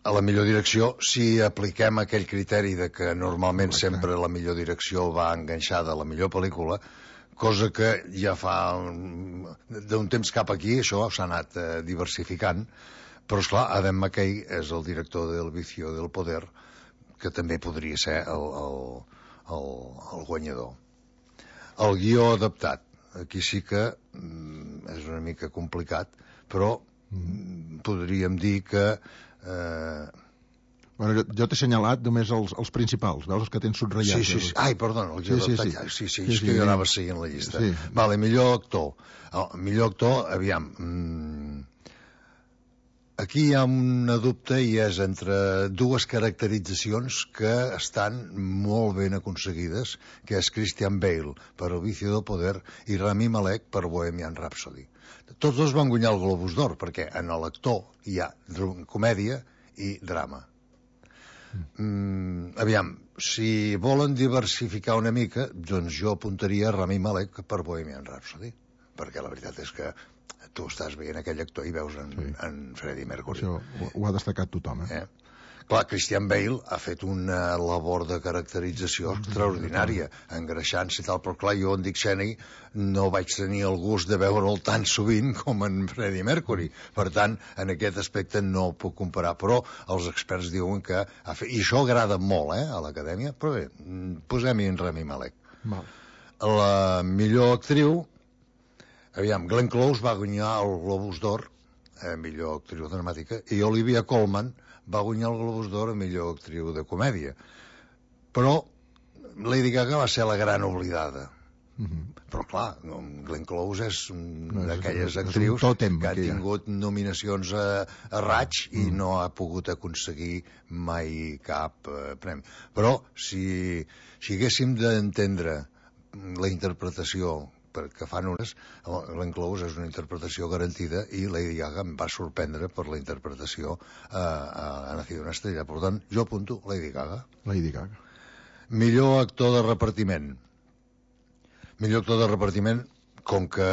A la millor direcció, si apliquem aquell criteri de que normalment sempre la millor direcció va enganxada a la millor pel·lícula, cosa que ja fa d'un temps cap aquí, això s'ha anat diversificant, però esclar, Adam McKay és el director del Vicio del Poder, que també podria ser el guanyador. El guió adaptat, aquí sí que és una mica complicat, però podríem dir que... Bueno, jo t'he assenyalat només els principals, veus, els que tens subratllats. Sí. Ai, perdona, el guió adaptat. Sí, és que jo anava seguint la llista. Vale, millor actor. Millor actor, aviam... Aquí hi ha una dubte i és entre dues caracteritzacions que estan molt ben aconseguides, que és Christian Bale per El vicio del poder i Rami Malek per Bohemian Rhapsody. Tots dos van guanyar el Globus d'Or, perquè en l'actor hi ha comèdia i drama. Aviam, si volen diversificar una mica, doncs jo apuntaria Rami Malek per Bohemian Rhapsody, perquè la veritat és que tu estàs veient aquell actor i veus en Freddie Mercury. Això ho ha destacat tothom, Clar, Christian Bale ha fet una labor de caracterització extraordinària, engreixant-se i tal, però clar, jo en Dick Cheney no vaig tenir el gust de veure'l tan sovint com en Freddie Mercury. Per tant, en aquest aspecte no puc comparar, però els experts diuen que ha fet... I això agrada molt, a l'acadèmia, però bé, posem-hi en Rami Malek. La millor actriu... Aviam, Glenn Close va guanyar el Globus d'Or, millor actriu dramàtica, i Olivia Colman va guanyar el Globus d'Or a millor actriu de comèdia. Però Lady Gaga va ser la gran oblidada. Però clar, Glenn Close és d'aquelles actrius que ha tingut nominacions a raig i no ha pogut aconseguir mai cap premi. Però si haguéssim d'entendre la interpretació que fan unes, Glenn Close és una interpretació garantida i Lady Gaga em va sorprendre per la interpretació a Nacido una estrella. Per tant, jo apunto Lady Gaga. Millor actor de repartiment. Millor actor de repartiment, com que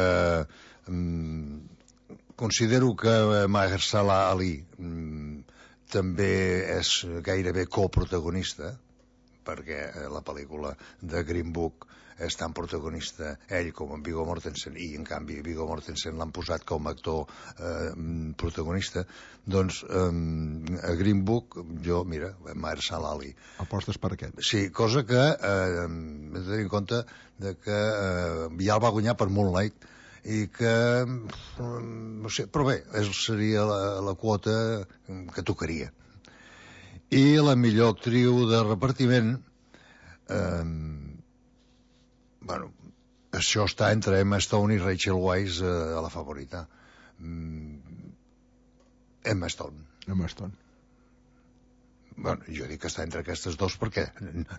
considero que Mahershala Ali també és gairebé coprotagonista, perquè la pel·lícula de Green Book és tan protagonista ell com en Viggo Mortensen, i en canvi Viggo Mortensen l'han posat com a actor protagonista, doncs a Green Book jo, mira, Mahershala Ali. Apostes per aquest? Sí, cosa que hem de tenir en compte que ja el va guanyar per Moonlight i que no sé, però bé, seria la quota que tocaria. I la millor actriu de repartiment, bueno, això està entre Emma Stone i Rachel Weisz a la favorita. Emma Stone. Bueno, jo dic que està entre aquestes dos perquè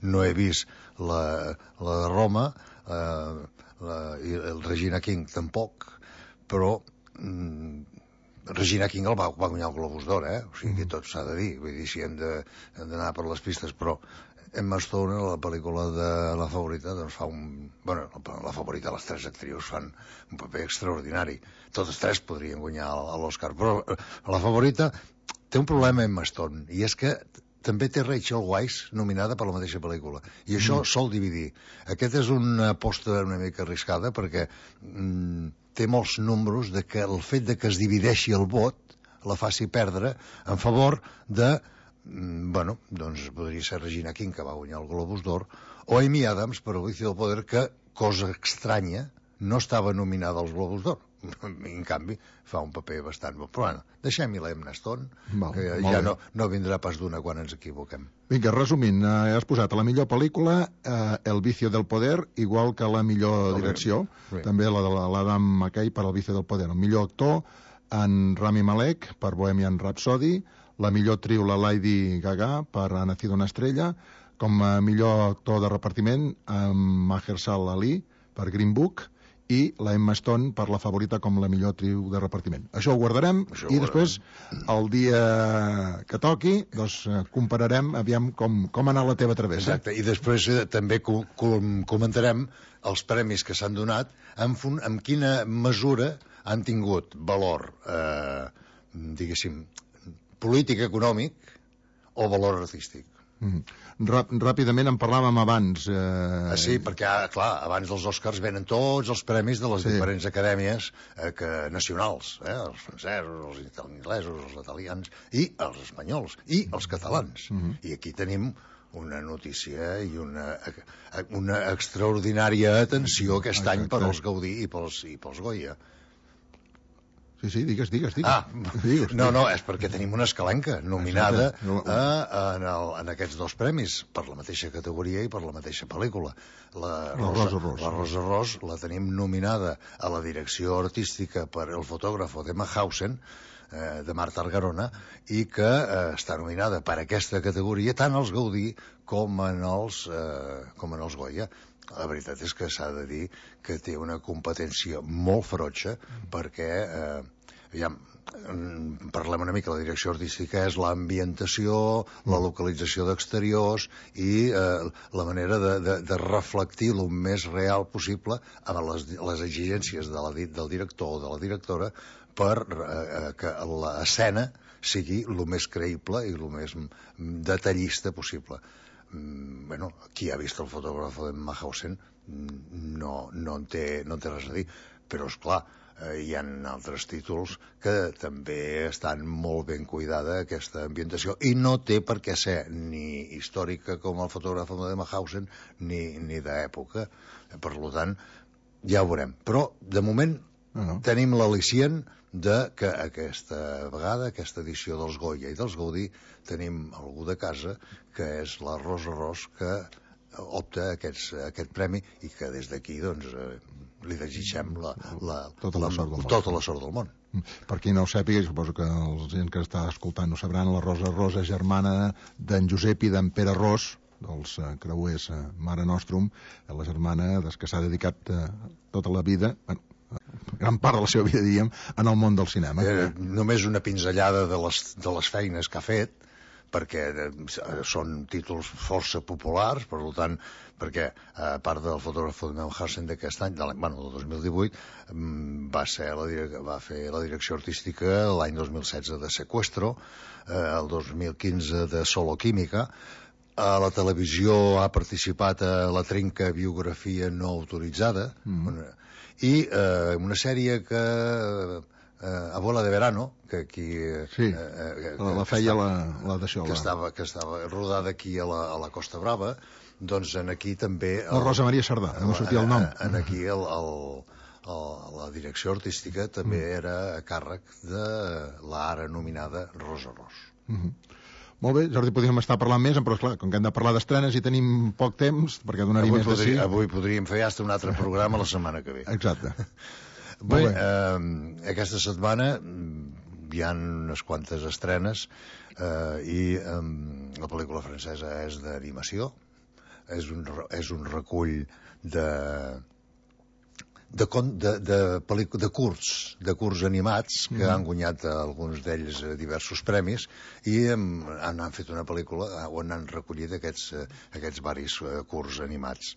no he vist la de Roma i el Regina King tampoc, però Regina King el va guanyar el Globus d'Or, o sigui que tot s'ha de dir, vull dir, si hem d'anar per les pistes, però Emma Stone, la pel·lícula de La Favorita, doncs fa un... Bueno, La Favorita, les 3 actrius fan un paper extraordinari. Totes 3 podrien guanyar l'Oscar, però La Favorita té un problema Emma Stone, i és que també té Rachel Weisz nominada per la mateixa pel·lícula, i això sol dividir. Aquest és una aposta una mica arriscada, perquè té molts números de que el fet de que es divideixi el vot la faci perdre en favor de... Bueno, doncs podria ser Regina King, que va guanyar el Globus d'Or, o Amy Adams per El vicio del poder, que, cosa estranya, no estava nominada als Globus d'Or. En canvi, fa un paper bastant bo. Però bueno, deixem-hi l'Emma Stone, que ja no vindrà pas d'una quan ens equivoquem. Vinga, resumint, has posat a la millor pel·lícula El vicio del poder, igual que la millor direcció, també la de l'Adam McKay per El vicio del poder. El millor actor, en Rami Malek per Bohemian Rhapsody, la millor actriu, la Lady Gaga, per Ha nacido una estrella, com a millor actor de repartiment, Mahershala Ali, per Green Book, i la Emma Stone per La Favorita com la millor actriu de repartiment. Això ho guardarem, després, el dia que toqui, doncs compararem, aviam com ha anat la teva travessa. Exacte, i després també comentarem els premis que s'han donat, en quina mesura han tingut valor, diguéssim, polític, econòmic o valor artístic. Ràpidament en parlàvem abans. Sí, perquè, clar, abans dels Oscars venen tots els premis de les diferents acadèmies nacionals, els francesos, els anglesos, els italians, i els espanyols, i els catalans. I aquí tenim una notícia i una extraordinària atenció aquest any per als Gaudí i pels Goya. Sí, digues. No, és perquè tenim una escalenca nominada en aquests 2 premis, per la mateixa categoria i per la mateixa pel·lícula. La Rosa Ros la tenim nominada a la direcció artística per El fotògrafo de Mauthausen, de Marta Argarona, i que està nominada per aquesta categoria tant als Gaudí com en els Goya. La veritat és que s'ha de dir que té una competència molt ferotge, perquè parlem una mica, la direcció artística és l'ambientació, la localització d'exteriors i la manera de reflectir el més real possible amb les exigències del director o de la directora per que l'escena sigui el més creïble i el més detallista possible. Bueno, qui ha vist El fotògrafo de Mauthausen no en té res a dir, però esclar, hi ha altres títols que també estan molt ben cuidada aquesta ambientació, i no té per què ser ni històrica com El fotògrafo de Mauthausen ni d'època. Per tant, ja ho veurem, però de moment tenim l'al·licient de que aquesta vegada, aquesta edició dels Goya i dels Gaudí, tenim algú de casa que és la Rosa Ros, que opta a aquest premi, i que des d'aquí doncs li desitgem tota la sort del món. Per qui no ho sàpiga, suposo que la gent que està escoltant no sabran, la Rosa Ros és germana d'en Josep i d'en Pere Ros, dels creuers Mare Nostrum, la germana que s'ha dedicat tota la vida, gran part de la seva vida, diríem, en el món del cinema. Només una pinzellada de les feines que ha fet, perquè són títols força populars, per tant, perquè a part del fotògrafo de Mauthausen d'aquest any, del 2018, va fer la direcció artística l'any 2016 de Secuestro, el 2015 de Solo Química. A la televisió ha participat a La Trinca, biografia no autoritzada, i una sèrie que Abuela de Verano, que aquí la feia la d'això, que estava rodada aquí a la Costa Brava, doncs aquí també la Rosa Maria Sardà, no sortia el nom. Aquí la direcció artística també era a càrrec de l'ara nominada Rosa Ros. Molt bé, Jordi, podríem estar parlant més, però esclar, com que hem de parlar d'estrenes i tenim poc temps, perquè donaria més de sí. Avui podríem fer un altre programa la setmana que ve. Exacte. Bé, aquesta setmana hi ha unes quantes estrenes, i la pel·lícula francesa és d'animació, és un recull de curts animats que han guanyat alguns d'ells diversos premis i han fet una pel·lícula on han recollit aquests varis curts animats.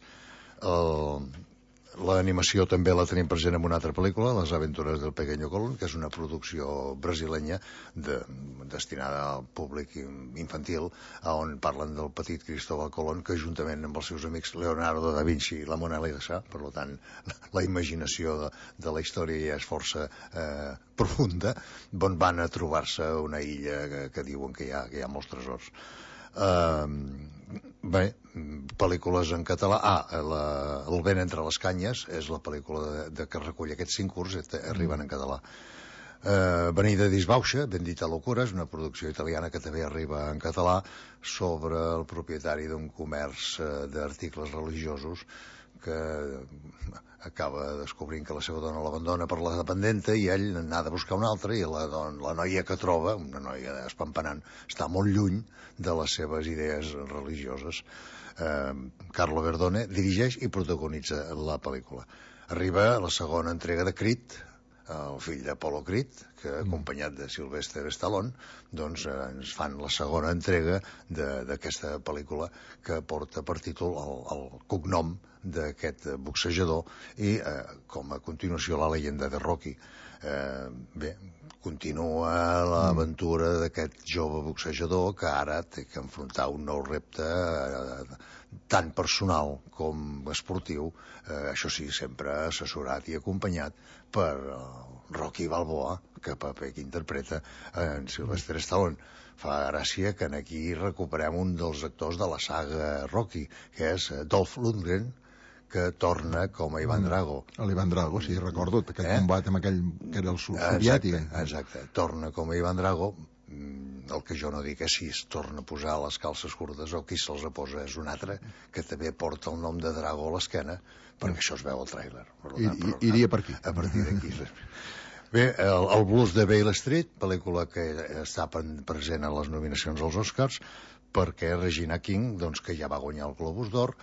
L'animació també la tenim present en una altra pel·lícula, Les aventures del pequeño Colón, que és una producció brasilenya destinada al públic infantil, on parlen del petit Cristóbal Colón, que juntament amb els seus amics Leonardo da Vinci i la Mona Lisa, per tant, la imaginació de la història ja és força profunda, on van a trobar-se una illa que diuen que hi ha molts tresors. Bé, pel·lícules en català. El vent entre les canyes és la pel·lícula que recull aquests 5 curts, arriben en català. Avenida Disbauxa, Bendita locura, és una producció italiana que també arriba en català, sobre el propietari d'un comerç d'articles religiosos que acaba descobrint que la seva dona l'abandona per la dependenta i ell n'ha de buscar una altra, i la noia que troba, una noia espampanant, està molt lluny de les seves idees religioses. Carlo Verdone dirigeix i protagonitza la pel·lícula. Arriba la segona entrega de Creed, el fill d'Apollo Creed, que acompanyat de Sylvester Stallone, doncs ens fan la segona entrega d'aquesta pel·lícula que porta per títol el cognom d'aquest boxejador i com a continuació la llegenda de Rocky. Bé, continua l'aventura d'aquest jove boxejador que ara té que enfrontar un nou repte tant personal com esportiu, això sí, sempre assessorat i acompanyat per Rocky Balboa, que paper que interpreta en Sylvester Stallone. Fa gràcia que aquí recuperem un dels actors de la saga Rocky, que és Dolph Lundgren, que torna com a Ivan Drago. L'Ivan Drago, sí, recordo aquell combat amb aquell que era el soviètic. Exacte, torna com a Ivan Drago. El que jo no dic és si es torna a posar les calces curtes o qui se'ls posa és un altre que també porta el nom de Drago a l'esquena, perquè això es veu al tràiler. Iria per aquí. A partir d'aquí. Bé, el Blues de Beale Street, pel·lícula que està present a les nominacions als Oscars, perquè Regina King, doncs, que ja va guanyar el Globus d'Or,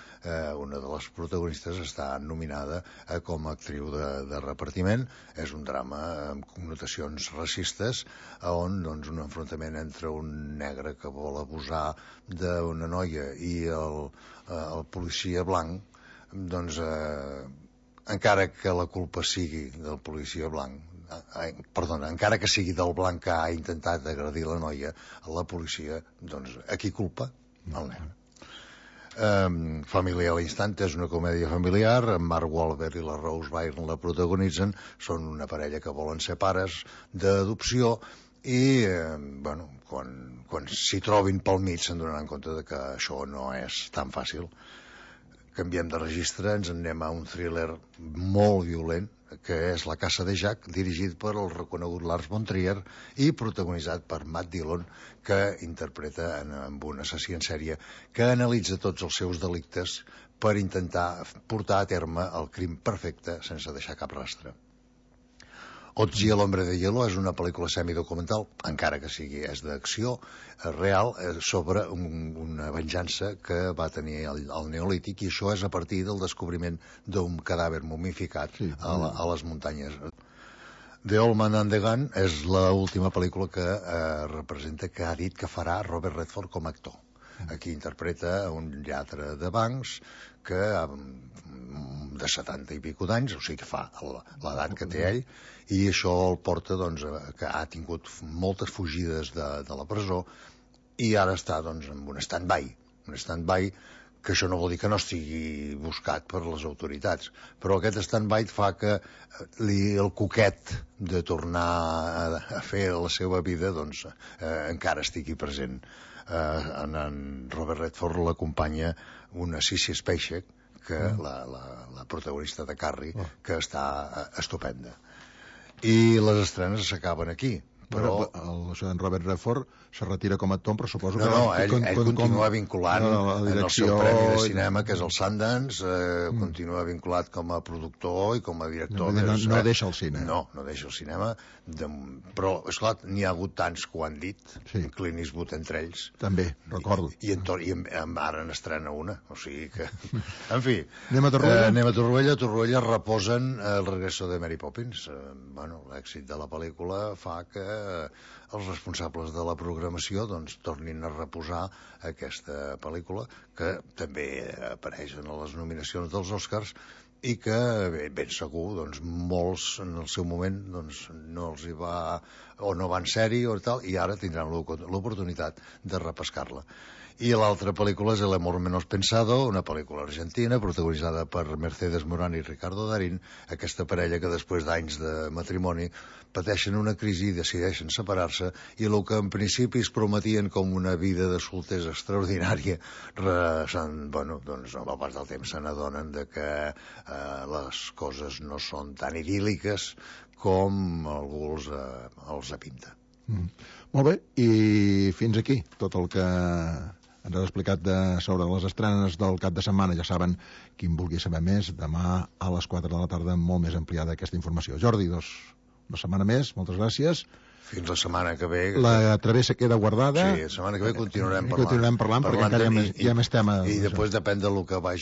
una de les protagonistes, està nominada com a actriu de repartiment. És un drama amb connotacions racistes, on doncs, un enfrontament entre un negre que vol abusar d'una noia i el policia blanc, doncs, encara que la culpa sigui del policia blanc, encara que sigui del blanc que ha intentat agredir la noia, la policia, doncs, a qui culpa? El negre. Família a l'instant és una comèdia familiar, en Mark Wahlberg i la Rose Byrne la protagonitzen, són una parella que volen ser pares d'adopció i, bueno, quan s'hi trobin pel mig se'n donaran compte de que això no és tan fàcil. Canviem de registre, ens anem a un thriller molt violent, que és La casa de Jack, dirigit per el reconegut Lars von Trier i protagonitzat per Matt Dillon, que interpreta amb un assassí en sèrie que analitza tots els seus delictes per intentar portar a terme el crim perfecte sense deixar cap rastre. Ozzy el hombre de hielo és una pel·lícula semidocumental, encara que sigui d'acció real, sobre una venjança que va tenir el Neolític, i això és a partir del descobriment d'un cadàver momificat a les muntanyes. The Old Man and the Gun és l'última pel·lícula que representa, que ha dit que farà Robert Redford com a actor. Aquí interpreta un lladre de bancs que de 70 i pico d'anys, o sigui que fa l'edat que té ell, i això el porta, doncs, que ha tingut moltes fugides de la presó i ara està, doncs, en un stand-by que això no vol dir que no estigui buscat per les autoritats, però aquest stand-by fa que el coquet de tornar a fer la seva vida, doncs, encara estigui present. En Robert Redford l'acompanya una Sissy Spacek, que la protagonista de Carrie, que està estupenda. I les estrenes s'acaben aquí, Però això en Robert Redford se retira com a actor, però suposo que... No, ell continua vinculant en el seu premi de cinema, que és el Sundance, continua vinculat com a productor i com a director. No deixa el cine. No deixa el cinema, però, esclar, n'hi ha hagut tants que ho han dit, Clint Eastwood entre ells. També, recordo. I ara n'estrena una, o sigui que... En fi, anem a Torroella? Anem a Torroella. A Torroella reposen el regreso de Mary Poppins. L'èxit de la pel·lícula fa que els responsables de la programació doncs tornin a reposar aquesta pel·lícula, que també apareix en les nominacions dels Oscars i que ben segur doncs, molts en el seu moment doncs, no els hi va o no van ser-hi o tal, i ara tindran l'oportunitat de repescar-la. I l'altra pel·lícula és El amor menos pensado, una pel·lícula argentina protagonitzada per Mercedes Morán i Ricardo Darín, aquesta parella que després d'anys de matrimoni pateixen una crisi i decideixen separar-se, i el que en principi es prometien com una vida de solters extraordinària, doncs amb el pas del temps se n'adonen de que les coses no són tan idíl·liques com algú els pinta. Molt bé, i fins aquí tot el que ens has explicat sobre les estrenes del cap de setmana. Ja saben, qui en vulgui saber més, demà a les 4 de la tarda molt més ampliada aquesta informació. Jordi, una setmana més, moltes gràcies. Fins la setmana que ve. La travessa queda guardada. Sí, la setmana que ve continuarem parlant perquè encara hi ha més tema. I després depèn del que vagi